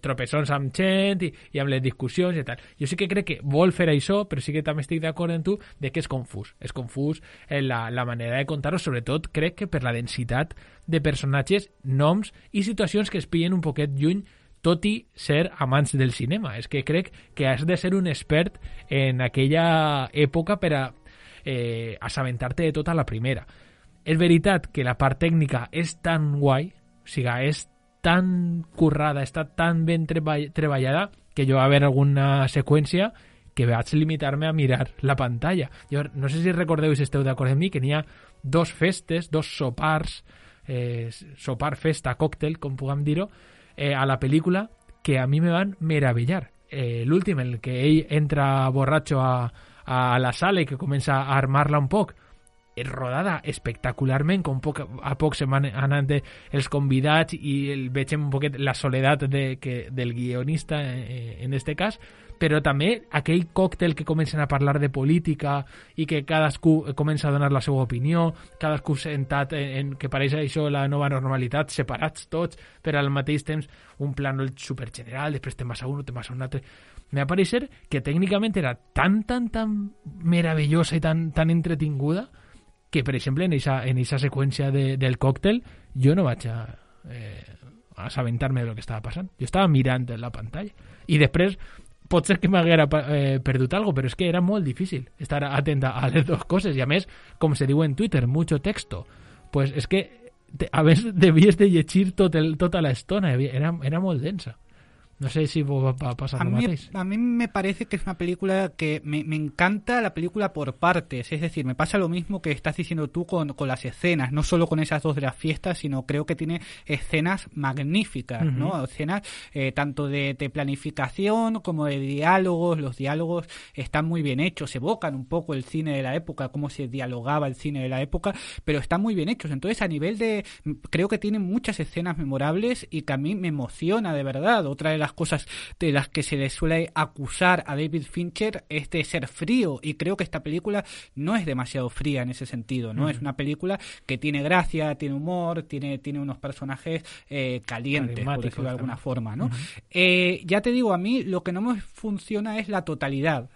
tropeçons amb gent i amb les discussions i tal. Jo sí que crec que vol fer això, però sí que també estic d'acord amb tu de que és confús. És confús en la manera de contar-ho, sobretot crec que per la densitat de personatges, noms i situacions que es pillen un poquet lluny, tot i ser amants del cinema. És que crec que has de ser un expert en aquella època per a assabentar-te de tota la primera. És veritat que la part tècnica és tan guai, o sigui, és tan currada, està tan ben treballada, que jo va haver alguna seqüència que vaig limitar-me a mirar la pantalla. Jo no sé si recordeu, si esteu d'acord amb mi, que n'hi ha dos festes, dos sopars, sopar, festa, còctel, com puguem dir-ho, a la pel·lícula, que a mi me van meravellar. L'últim, el que ell entra borratxo a la sala i que comença a armar-la un poc, és rodada espectacularment, com a poc se van anant els convidats i veiem un poquet la soledat del guionista en este cas, però també aquell còctel que comencen a parlar de política i que cadascú comença a donar la seva opinió, cadascú sentat que pareix això la nova normalitat, separats tots, però al mateix temps un plànol supergeneral, després te'n vas a un, te'n vas a un altre. Me va parecer que tècnicament era tan meravellosa i tan entretinguda que, per exemple, en eixa seqüència del còctel jo no vaig a assabentar-me del que estava passant. Jo estava mirant la pantalla. I després pot ser que m'haguera perdut algo, però és que era molt difícil estar atent a les dues coses. I a més, com se diu en Twitter, mucho texto. Pues és que a més devies de llegir tota l'estona. Era molt densa. No sé si va a pasar lo mateix. A mí me parece que es una película que me encanta la película por partes. Es decir, me pasa lo mismo que estás diciendo tú con las escenas. No solo con esas dos de las fiestas, sino creo que tiene escenas magníficas, ¿no? Escenas tanto de planificación como de diálogos. Los diálogos están muy bien hechos. Evocan un poco el cine de la época, cómo se dialogaba el cine de la época, pero están muy bien hechos. Entonces, a nivel de... Creo que tiene muchas escenas memorables y que a mí me emociona de verdad. Otra de las cosas de las que se le suele acusar a David Fincher es de ser frío, y creo que esta película no es demasiado fría en ese sentido, ¿no? Es una película que tiene gracia, tiene humor, tiene unos personajes calientes, por decirlo de alguna forma, ¿no? Ya te digo, a mí lo que no me funciona es la totalidad.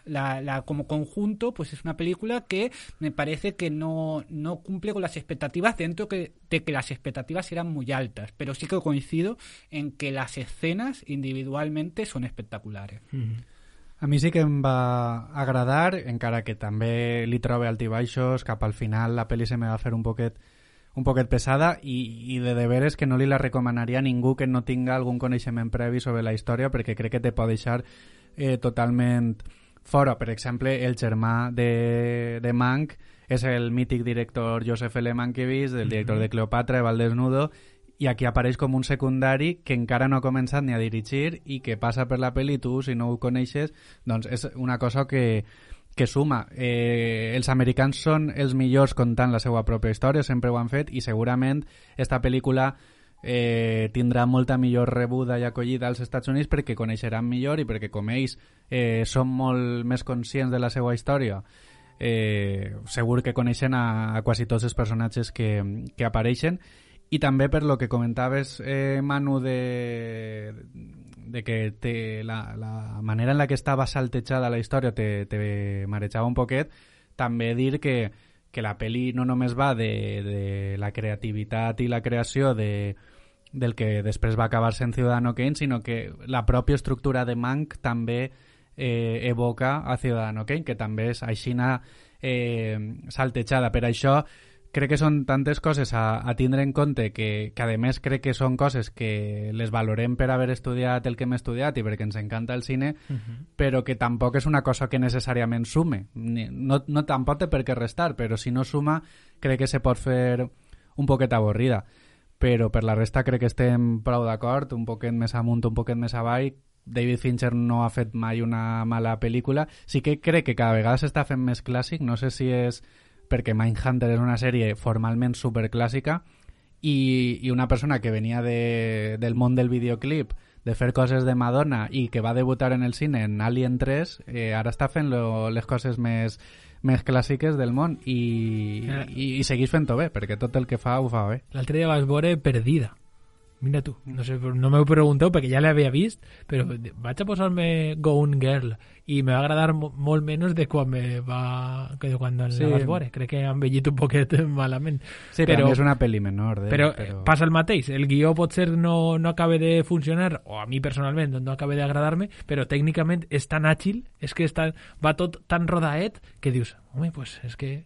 Como conjunto, pues es una película que me parece que no cumple con las expectativas, dentro de que las expectativas eran muy altas, pero sí que coincido en que las escenas individualmente són espectaculars. A mi sí que em va agradar, encara que també li trobe altibaixos, cap al final la pel·li se me va fer un poquet pesada i de veres que no li la recomanaria a ningú que no tinga algun coneixement previ sobre la història, perquè crec que te pot deixar totalment fora. Per exemple, el germà de Mank és el mític director Joseph L. Mankiewicz, el director de Cleopatra, Val Desnudo, i aquí apareix com un secundari que encara no ha començat ni a dirigir i que passa per la pel·li, tu, si no ho coneixes, doncs és una cosa que suma. Els americans són els millors contant la seva pròpia història, sempre ho han fet, i segurament esta pel·lícula tindrà molta millor rebuda i acollida als Estats Units perquè coneixeran millor i perquè com ells són molt més conscients de la seva història, segur que coneixen a quasi tots els personatges que apareixen. I també per lo que comentaves, Manu, de que la manera en la que estava saltejada la història te marejava un poquet, també dir que la pel·li no només va de la creativitat i la creació del que després va acabar sent Ciudadano Kane, sinó que la pròpia estructura de Mank també evoca a Ciudadano Kane, que també és aixina saltejada. Per això crec que són tantes coses a tindre en compte que a més crec que són coses que les valorem per haver estudiat el que hem estudiat i perquè ens encanta el cine, però que tampoc és una cosa que necessàriament sume. No tampoc té per què restar, però si no suma crec que se pot fer un poquet avorrida. Però per la resta crec que estem prou d'acord, un poquet més amunt, un poquet més avall. David Fincher no ha fet mai una mala pel·lícula. Sí que crec que cada vegada s'està fent més clàssic. No sé si és perquè Mindhunter és una sèrie formalment superclàssica i una persona que venia del món del videoclip, de fer coses de Madonna i que va debutar en el cine en Alien 3, ara està fent les coses més clàssiques del món i segueix fent-ho bé, perquè tot el que fa ho fa bé. L'altre dia vas veure Perdida. Mira tu, no sé, no m'ho pregunteu perquè ja l'havia vist, però vaig a posar-me Gone Girl i me va agradar molt menys de quan la vas veure. Crec que ha envellit un poquet malament. Sí, però és una pel·li menor. Però passa el mateix. El guió potser no acaba de funcionar, o a mi personalment no acaba d'agradar-me, però tècnicament és tan àgil, és que va tot tan rodaet que dius, home, pues és que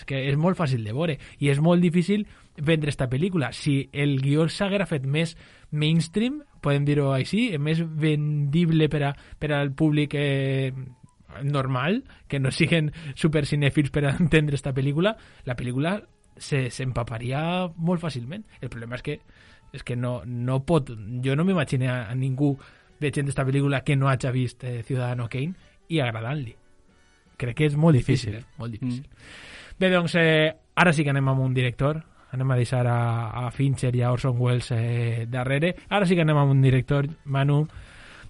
és molt fàcil de veure i és molt difícil vendre esta pel·lícula. Si el guió s'haguera fet més mainstream, podem dir-ho així, més vendible per al públic normal, que no siguen supercinèfils per a entendre esta pel·lícula, la pel·lícula s'empaparia molt fàcilment. El problema és que no pot... Jo no m'imagino a ningú veient esta pel·lícula que no hagi vist Ciudadano Kane i agradant-li. Crec que és molt difícil. Molt difícil. Bé, doncs, ara sí que anem amb un director. Anem a deixar a Fincher i a Orson Welles darrere. Ara sí que anem amb un director, Manu,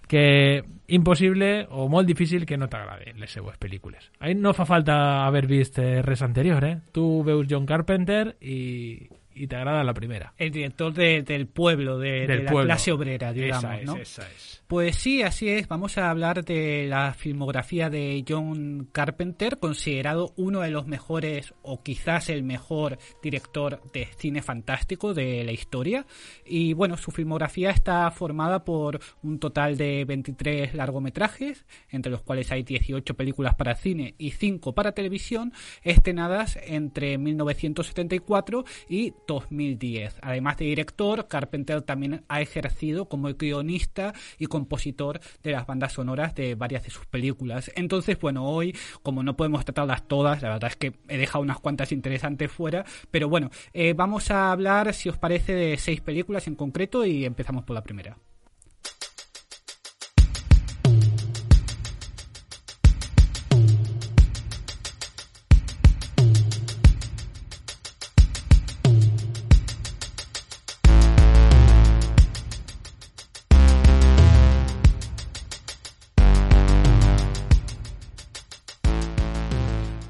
que impossible o molt difícil que no t'agraden les seues pel·lícules. Ahí no fa falta haver vist res anterior, eh? Tu veus John Carpenter y te agrada la primera. El director del pueblo, de la pueblo. Clase obrera, digamos, ¿no? Esa es. Pues sí, así es. Vamos a hablar de la filmografía de John Carpenter, considerado uno de los mejores, o quizás el mejor director de cine fantástico de la historia. Y bueno, su filmografía está formada por un total de 23 largometrajes, entre los cuales hay 18 películas para cine y 5 para televisión, estrenadas entre 1974 y 2010. Además de director, Carpenter también ha ejercido como guionista y compositor de las bandas sonoras de varias de sus películas. Entonces, bueno, hoy, como no podemos tratarlas todas, la verdad es que he dejado unas cuantas interesantes fuera, pero bueno, vamos a hablar, si os parece, de 6 películas en concreto y empezamos por la primera.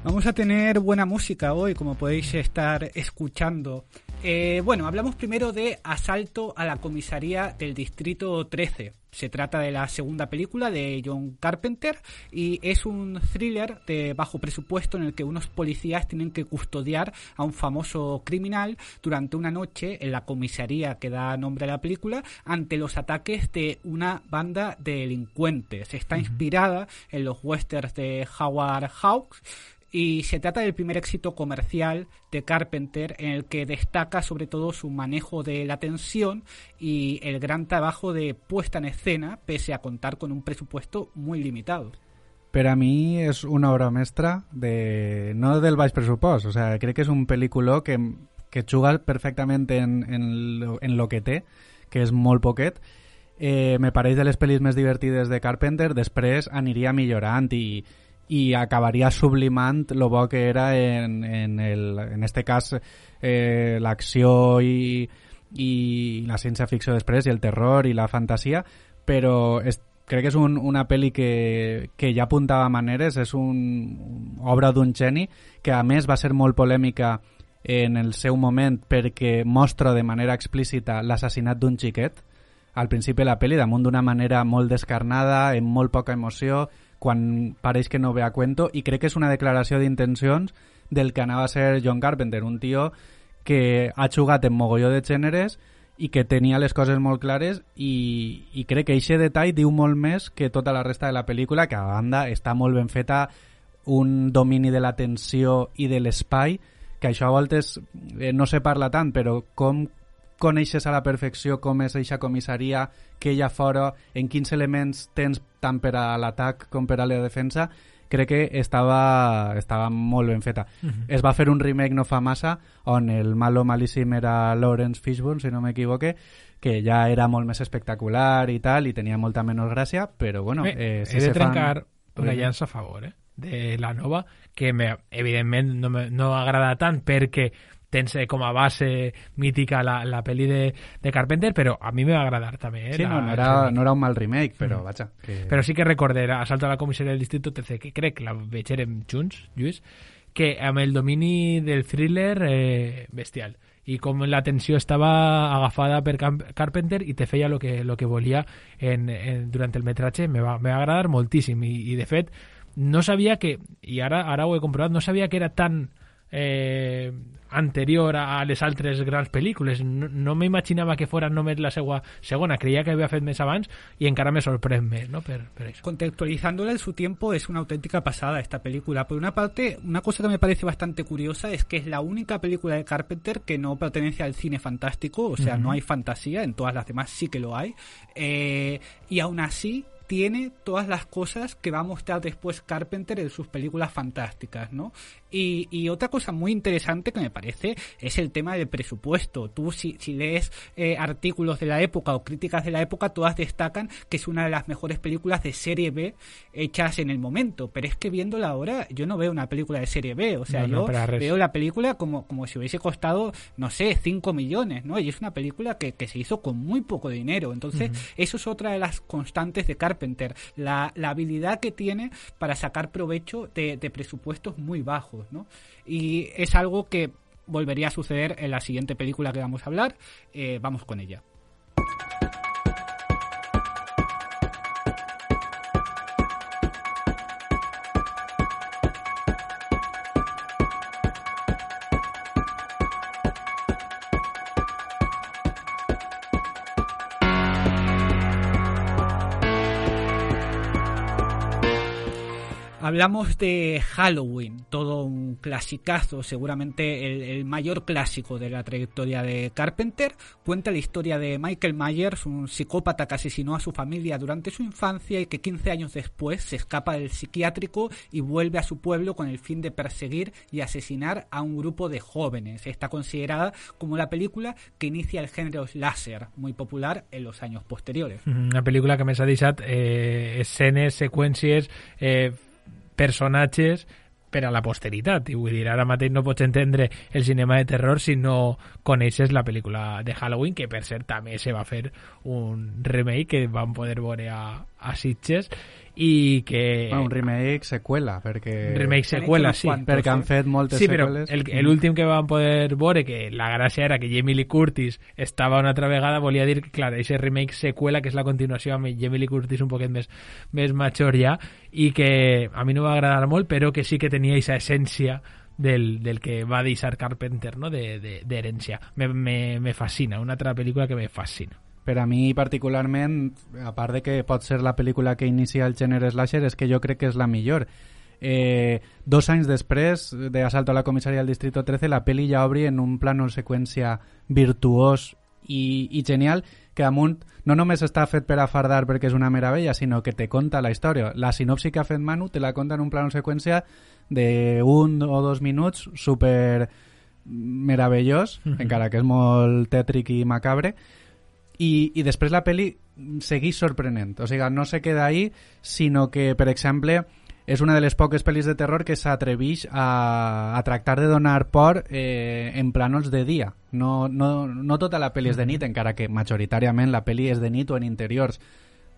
Vamos a tener buena música hoy, como podéis estar escuchando. Bueno, hablamos primero de Asalto a la comisaría del Distrito 13. Se trata de la segunda película de John Carpenter y es un thriller de bajo presupuesto en el que unos policías tienen que custodiar a un famoso criminal durante una noche en la comisaría que da nombre a la película ante los ataques de una banda de delincuentes. Está inspirada en los westerns de Howard Hawks y se trata del primer éxito comercial de Carpenter, en el que destaca sobre todo su manejo de la tensión y el gran trabajo de puesta en escena, pese a contar con un presupuesto muy limitado. Per a mi és una obra mestra no del baix pressupost, o sea, crec que és un pel·lículó que juga perfectament en lo que té, que és molt poquet. Me pareix de les pel·lis més divertides de Carpenter, després aniria millorant i acabaria sublimant lo bo que era en este cas l'acció i la ciència-ficció després i el terror i la fantasia, però crec que és una pel·li que ja apuntava maneres, és una obra d'un geni que a més va ser molt polèmica en el seu moment perquè mostra de manera explícita l'assassinat d'un xiquet al principi de la pel·li, damunt d'una manera molt descarnada, amb molt poca emoció, quan pareix que no ve a cuento, i crec que és una declaració d'intencions del que anava a ser John Carpenter, un tio que ha jugat en mogolló de gèneres i que tenia les coses molt clares i crec que aquest detall diu molt més que tota la resta de la pel·lícula, que a banda està molt ben feta, un domini de la tensió i de l'espai, que això a voltes no se parla tant, però com coneixes a la perfecció com és eixa comissaria, què hi ha fora, en quins elements tens tant per a l'atac com per a la defensa, crec que estava molt ben feta. Es va fer un remake no fa massa on el malo malíssim era Lawrence Fishburne, si no m'equivoque, que ja era molt més espectacular i tal, i tenia molta menys gràcia, però bueno... he de trencar una llança a favor de la nova, que evidentment no agrada tant perquè tens com a base mítica la pel·li de Carpenter, però a mi me va agradar també. Sí, no era un mal remake, però vaja. Però sí que recordé Assalto a la comissaria del distrito 13, que crec que la veurem junts, Lluís, que amb el domini del thriller bestial, i com la tensió estava agafada per Carpenter i te feia lo que volia durant el metratge, me va agradar moltíssim, i de fet no sabia que, i ara ho he comprovat, no sabia que era tan anterior a les altres grans pel·lícules. No m'imaginava que fora només la seva segona, creía que havia fet més abans y encara me sorprèn més, ¿no? Per eso. Contextualizándola en su tiempo, es una auténtica pasada esta película. Por una parte, una cosa que me parece bastante curiosa es que es la única película de Carpenter que no pertenece al cine fantástico, o sea, no hay fantasía, en todas las demás sí que lo hay, y aún así tiene todas las cosas que va a mostrar después Carpenter en sus películas fantásticas, ¿no? Y otra cosa muy interesante que me parece es el tema del presupuesto. Tú si lees artículos de la época o críticas de la época, todas destacan que es una de las mejores películas de serie B hechas en el momento, pero es que viéndola ahora yo no veo una película de serie B, o sea, yo veo la película como si hubiese costado, no sé, 5 millones, ¿no? Y es una película que se hizo con muy poco dinero, entonces eso es otra de las constantes de Carpenter, la habilidad que tiene para sacar provecho de presupuestos muy bajos, ¿no? Y es algo que volvería a suceder en la siguiente película que vamos a hablar. Vamos con ella. Hablamos de Halloween, todo un clasicazo, seguramente el mayor clásico de la trayectoria de Carpenter. Cuenta la historia de Michael Myers, un psicópata que asesinó a su familia durante su infancia y que 15 años después se escapa del psiquiátrico y vuelve a su pueblo con el fin de perseguir y asesinar a un grupo de jóvenes. Está considerada como la película que inicia el género slasher, muy popular en los años posteriores. Una pel·lícula que més ha deixat escenes, seqüències, personatges per a la posteritat, i vull dir, ara mateix no pots entendre el cinema de terror si no coneixes la pel·lícula de Halloween, que per cert també se va fer un remake que vam poder veure a Sitges, i que... un remake seqüela, perquè... Remake seqüela, sí. Perquè han fet moltes seqüeles. Sí, però l'últim que vam poder veure, que la gràcia era que Jamie Lee Curtis estava una altra vegada, volia dir que, clar, aquest remake seqüela, que és la continuació amb Jamie Lee Curtis un poquet més major ja, i que a mi no va agradar molt, però que sí que tenia aquesta essència del que va deixar Carpenter, no?, d'herència. Me fascina, una altra pel·lícula que me fascina. Per a mi particularment, a part de que pot ser la pel·lícula que inicia el gènere slasher, és que jo crec que és la millor. 2 anys després de Asalto a la comissaria del distrito 13, la pel·li ja obri en un plano seqüència virtuós i genial, que amunt no només està fet per afardar perquè és una meravella, sinó que te conta la història. La sinopsi que ha fet Manu te la conta en un plano seqüència de 1 o 2 minuts, super meravellós, encara que és molt tètric i macabre, i després la pel·li segueix sorprenent, o sigui, no se queda ahí, sinó que, per exemple, és una de les poques pel·lis de terror que s'atreveix a tractar de donar por en plànols de dia. No tota la pel·li és de nit, encara que majoritàriament la pel·li és de nit o en interiors,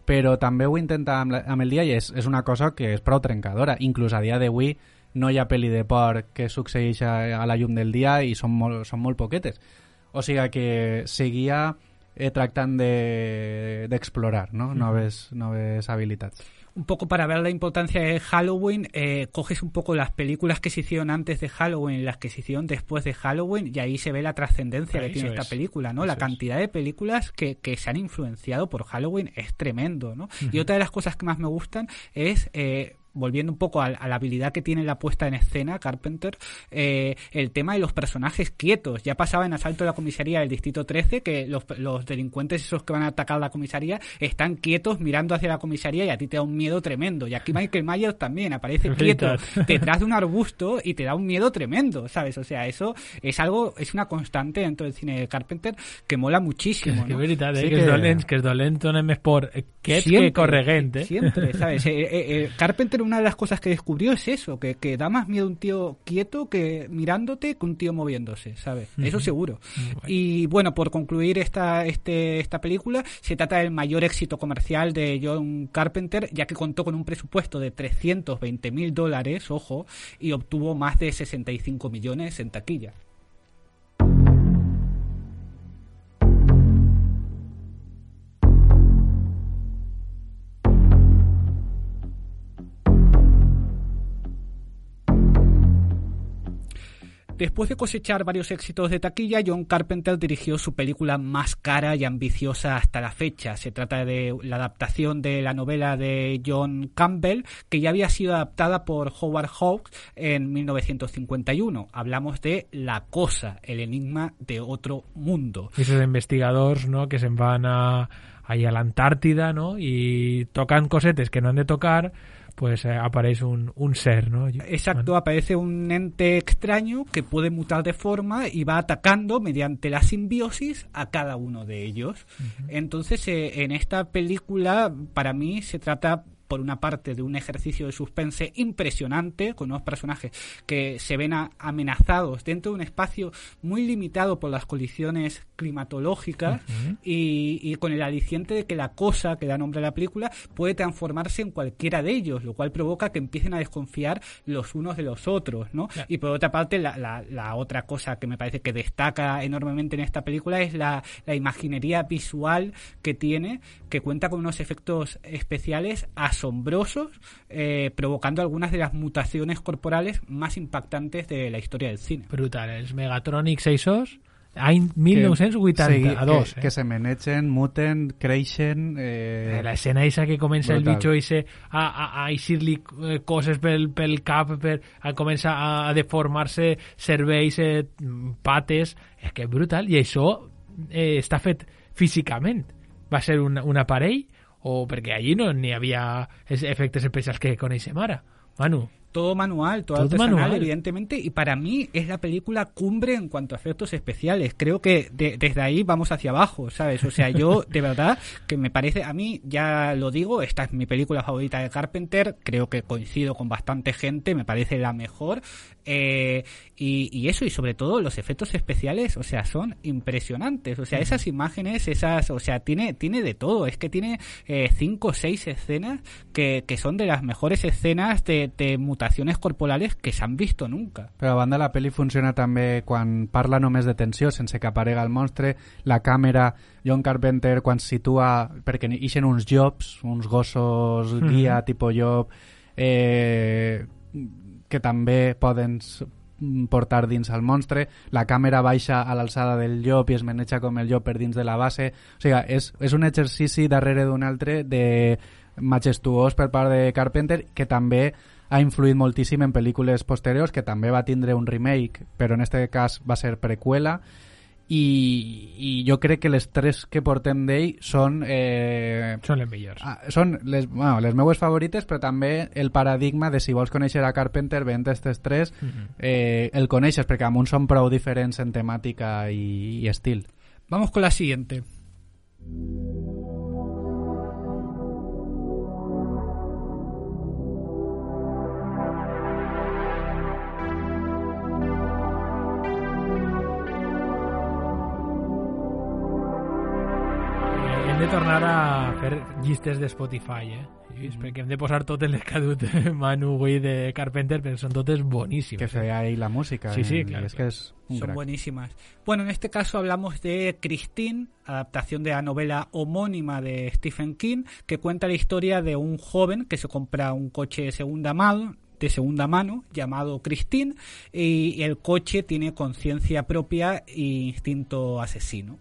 però també ho intenta amb el dia i és una cosa que és prou trencadora. Inclús a dia d'avui no hi ha pel·li de por que succeeix a la llum del dia i són molt poquetes. O sigui que seguia tractant d'explorar, ¿no? Noves habilitats. Un poco para ver la importancia de Halloween, coges un poco las películas que se hicieron antes de Halloween y las que se hicieron después de Halloween, y ahí se ve la trascendencia que tiene esta película, ¿no? La cantidad de películas que se han influenciado por Halloween es tremendo, ¿no? Y otra de las cosas que más me gustan es volviendo un poco a la habilidad que tiene la puesta en escena Carpenter, el tema de los personajes quietos. Ya pasaba en Asalto a la comisaría del Distrito 13 que los delincuentes esos que van a atacar la comisaría están quietos mirando hacia la comisaría y a ti te da un miedo tremendo. Y aquí Michael Myers también aparece quieto detrás de un arbusto y te da un miedo tremendo, ¿sabes? O sea, eso es una constante dentro del cine de Carpenter que mola muchísimo, que ¿no? veritat, Sí, que es dolent donem més por quiet que corregent, Siempre, ¿sabes? Carpenter, una de las cosas que descubrió es eso, que da más miedo un tío quieto que mirándote que un tío moviéndose, ¿sabes? Eso seguro. Y bueno, por concluir esta película, se trata del mayor éxito comercial de John Carpenter, ya que contó con un presupuesto de $320,000, ojo, y obtuvo más de 65 millones en taquilla. Después de cosechar varios éxitos de taquilla, John Carpenter dirigió su película más cara y ambiciosa hasta la fecha. Se trata de la adaptación de la novela de John Campbell, que ya había sido adaptada por Howard Hawks en 1951. Hablamos de La Cosa, el enigma de otro mundo. Esos investigadors, no?, que se'n van ahí a l'Antàrtida, no?, i tocan cosetes que no han de tocar, pues aparece un ser, ¿no? Exacto, aparece un ente extraño que puede mutar de forma y va atacando mediante la simbiosis a cada uno de ellos. Entonces, en esta película, para mí, se trata por una parte de un ejercicio de suspense impresionante, con unos personajes que se ven amenazados dentro de un espacio muy limitado por las colisiones climatológicas y con el aliciente de que la cosa que da nombre a la película puede transformarse en cualquiera de ellos, lo cual provoca que empiecen a desconfiar los unos de los otros, ¿no? Claro. Y por otra parte, la otra cosa que me parece que destaca enormemente en esta película es la imaginería visual que tiene, que cuenta con unos efectos especiales asombrosos, provocando algunas de las mutaciones corporales más impactantes de la historia del cine. Brutal, els Megatronics esos, any 1982. Que se menegen, muten, creixen... La escena esa que comença brutal. El bicho ese a eixir-li coses pel cap, comença a deformar-se cervells, pates, és que brutal, i això està fet físicament. Va ser un aparell, o perquè allí no n'hi havia efectes especials que coneixem ara, Manu. Todo manual, todo artesanal, evidentemente, y para mí es la película cumbre en cuanto a efectos especiales. Creo que desde ahí vamos hacia abajo, ¿sabes? O sea, yo, de verdad, que me parece, a mí, ya lo digo, esta es mi película favorita de Carpenter, creo que coincido con bastante gente, me parece la mejor, y eso, y sobre todo los efectos especiales, o sea, son impresionantes, o sea, esas imágenes, o sea, tiene de todo, es que tiene 5 o 6 escenas que son de las mejores escenas de mutaciones corporales que s'han visto nunca. Però a banda la pel·li funciona també quan parla només de tensió, sense que aparega el monstre, la càmera, John Carpenter quan situa, perquè ixen uns llops, uns gossos guia tipus llop, que també poden portar dins el monstre, la càmera baixa a l'alçada del llop i es maneja com el llop per dins de la base, o sigui, és un exercici darrere d'un altre de majestuós per part de Carpenter, que també ha influït moltíssim en pel·lícules posteriors, que també va tindre un remake, però en este cas va ser preqüela, i jo crec que les 3 que portem d'ell són les millors. Són les meues favorites, però també el paradigma de si vols conèixer a Carpenter, veient aquestes 3, el coneixes, perquè amb uns són prou diferents en temàtica i estil. Vamos con la siguiente. De tornar a fer llistes de Spotify, perquè hem de posar totes les que ha dut Manu avui de Carpenter, perquè són totes boníssimes. Que feia ahí la música. Sí, claro. Es que es un son crack. Buenísimas. Bueno, en este caso hablamos de Christine, adaptación de la novela homónima de Stephen King, que cuenta la historia de un joven que se compra un coche de segunda mano llamado Christine, y el coche tiene conciencia propia e instinto asesino.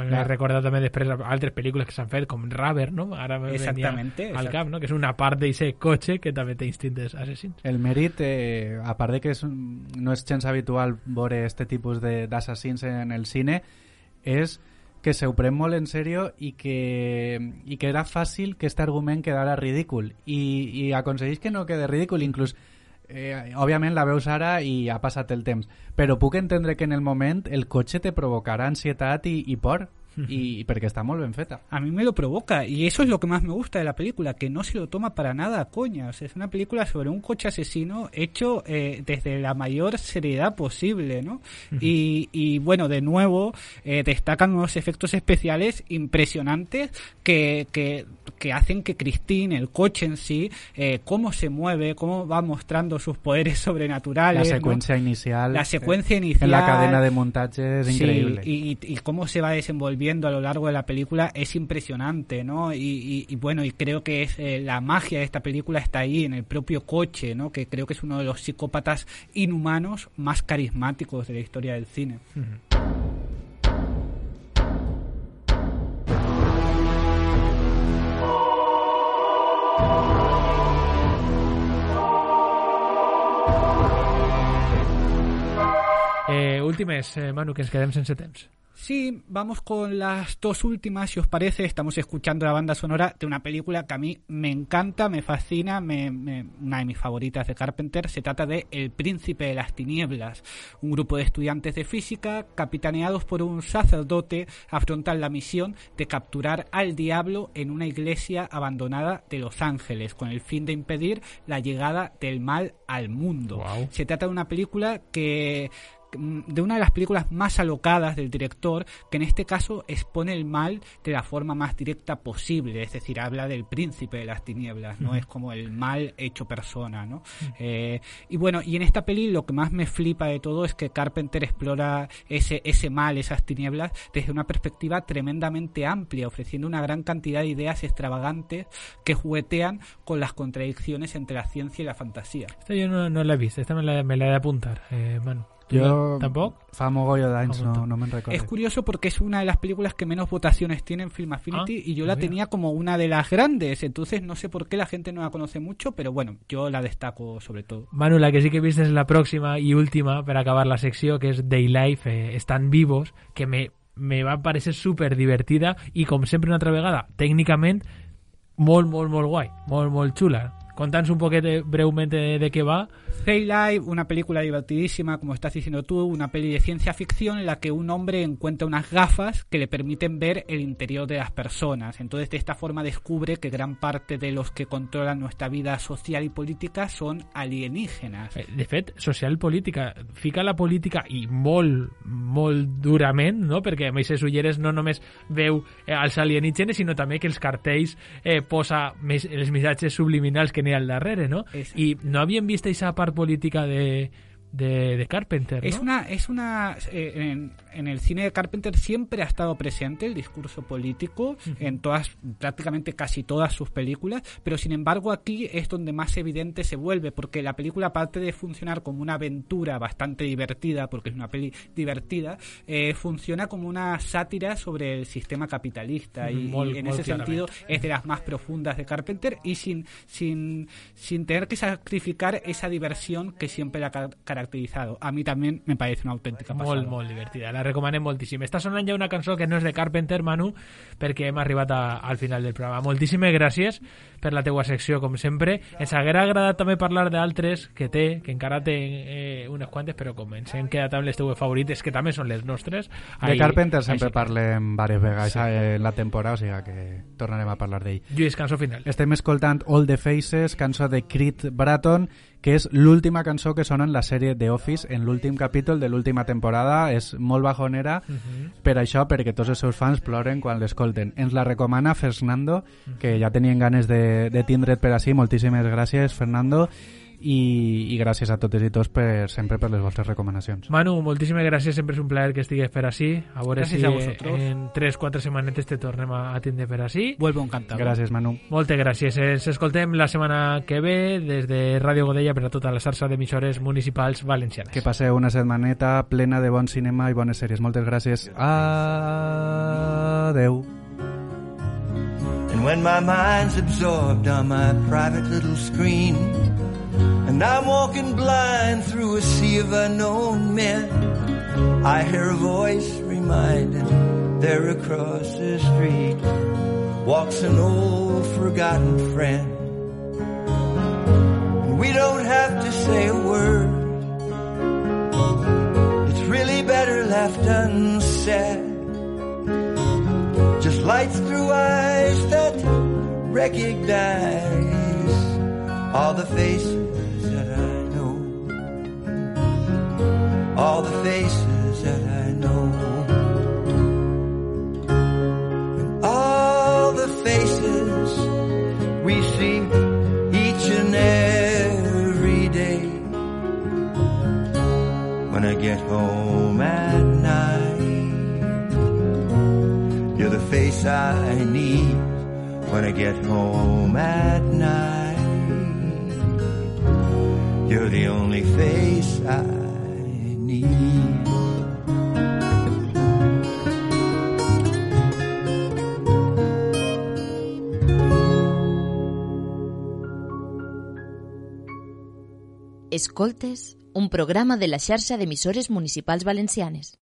M'he recordat també després altres pel·lícules que s'han fet, com Rubber, no? Ara me venia al cap, no? Que és una part d'aquest cotxe que també té instintes assassins. El mèrit, a part de que no és gens habitual veure este tipus d'assassins en el cine, és que se ho pren molt en sèrio i que era fàcil que aquest argument quedara ridícul i aconsegueix que no quede ridícul, inclús òbviament la veus ara i ha passat el temps, però puc entendre que en el moment el cotxe te provocarà ansietat i por, y porque está muy bien feta. A mí me lo provoca, y eso es lo que más me gusta de la película, que no se lo toma para nada a coña. O sea, es una película sobre un coche asesino hecho desde la mayor seriedad posible, ¿no? Y bueno, de nuevo destacan unos efectos especiales impresionantes que hacen que Christine, el coche en sí, cómo se mueve, cómo va mostrando sus poderes sobrenaturales, la secuencia, ¿no? inicial En la cadena de montaje es increíble. Y cómo se va desenvolviendo a lo largo de la película es impresionante, ¿no? Y bueno, y creo que es la magia de esta película está ahí, en el propio coche, ¿no? Que creo que es uno de los psicópatas inhumanos más carismáticos de la historia del cine. Últimes, Manu, que ens quedem sense temps. Sí, vamos con las dos últimas, si os parece. Estamos escuchando la banda sonora de una película que a mí me encanta, me fascina, una de mis favoritas de Carpenter. Se trata de El Príncipe de las Tinieblas. Un grupo de estudiantes de física, capitaneados por un sacerdote, afrontan la misión de capturar al diablo en una iglesia abandonada de Los Ángeles, con el fin de impedir la llegada del mal al mundo. Wow. Se trata de una película de una de las películas más alocadas del director, que en este caso expone el mal de la forma más directa posible, es decir, habla del príncipe de las tinieblas, ¿no? Es como el mal hecho persona, ¿no? Y bueno, y en esta peli lo que más me flipa de todo es que Carpenter explora ese mal, esas tinieblas, desde una perspectiva tremendamente amplia, ofreciendo una gran cantidad de ideas extravagantes que juguetean con las contradicciones entre la ciencia y la fantasía. Esta yo no la he visto, esta me la he de apuntar, Manu. Jo tampoc? Fa mogollo d'anys, no me'n recordo. Es curioso porque es una de las películas que menos votaciones tiene en Film Affinity y yo la tenía como una de las grandes, entonces no sé por qué la gente no la conoce mucho, pero bueno, yo la destaco sobre todo. Manu, la que sí que viste es la próxima y última per acabar la secció, que és Day Life, Estan Vivos, que me va parecer super divertida i, com sempre, una altra vegada, tècnicament molt guai, molt xula. Contándonos un poquito brevemente de qué va. Day Life, una película divertidísima, como estás diciendo tú, una peli de ciencia ficción en la que un hombre encuentra unas gafas que le permiten ver el interior de las personas. Entonces, de esta forma descubre que gran parte de los que controlan nuestra vida social y política son alienígenas. De fet, social i política. Fica la política i molt durament, no? Perquè amb aquestes ulleres no només veu els alienígenes, sinó també que els cartells posa els missatges subliminals que n'hi ha al darrere, no? Exacto. I no havíem vist aquesta part política de Carpenter, ¿no? En el cine de Carpenter siempre ha estado presente el discurso político en prácticamente casi todas sus películas, pero sin embargo aquí es donde más evidente se vuelve, porque la película, aparte de funcionar como una aventura bastante divertida, porque es una peli divertida, funciona como una sátira sobre el sistema capitalista y en ese sentido es de las más profundas de Carpenter y sin tener que sacrificar esa diversión que siempre la ha caracterizado. A mí también me parece una autèntica passada. Molt divertida, la recomanem moltíssim. Està sonant ja una cançó que no és de Carpenter, Manu, perquè hem arribat al final del programa. Moltíssimes gràcies per la teua secció, com sempre. Ens haguera agradat també parlar d'altres que encara té unes quantes, però com ens hem quedat amb les teues favorites, que també són les nostres. De Carpenter sempre parlem diverses vegades en la temporada, o sigui que tornarem a parlar d'ell. Lluís, cançó final. Estem escoltant All the Faces, cançó de Creed Bratton, que és l'última cançó que sona en la sèrie The Office, en l'últim capítol de l'última temporada. És molt bajonera per això, perquè tots els seus fans ploren quan l'escolten. Ens la recomana Fernando, que ja tenien ganes de tindre't per així. Moltíssimes gràcies, Fernando. i gràcies a totes i tots sempre per les vostres recomanacions. Manu, moltíssimes gràcies, sempre és un plaer que estigues per ací. A veure gràcies si a vosotros. En 3-4 setmanetes te tornem a tindre per ací. Vuelvo encantado. Gràcies, Manu. Moltes gràcies. Ens escoltem la setmana que ve des de Ràdio Godella per a tota la xarxa d'emissores municipals valencianes. Que passeu una setmaneta plena de bon cinema i bones sèries. Moltes gràcies. Adeu. And when my mind's absorbed on my private little screen, and I'm walking blind through a sea of unknown men, I hear a voice reminding there across the street walks an old forgotten friend. And we don't have to say a word, it's really better left unsaid. Just lights through eyes that recognize all the faces that I know, all the faces that I know, and all the faces we see each and every day. When I get home at night, you're the face I need. When I get home at night, you're the only face I need. Escoltes, un programa de la xarxa d'emissores municipals valencianes.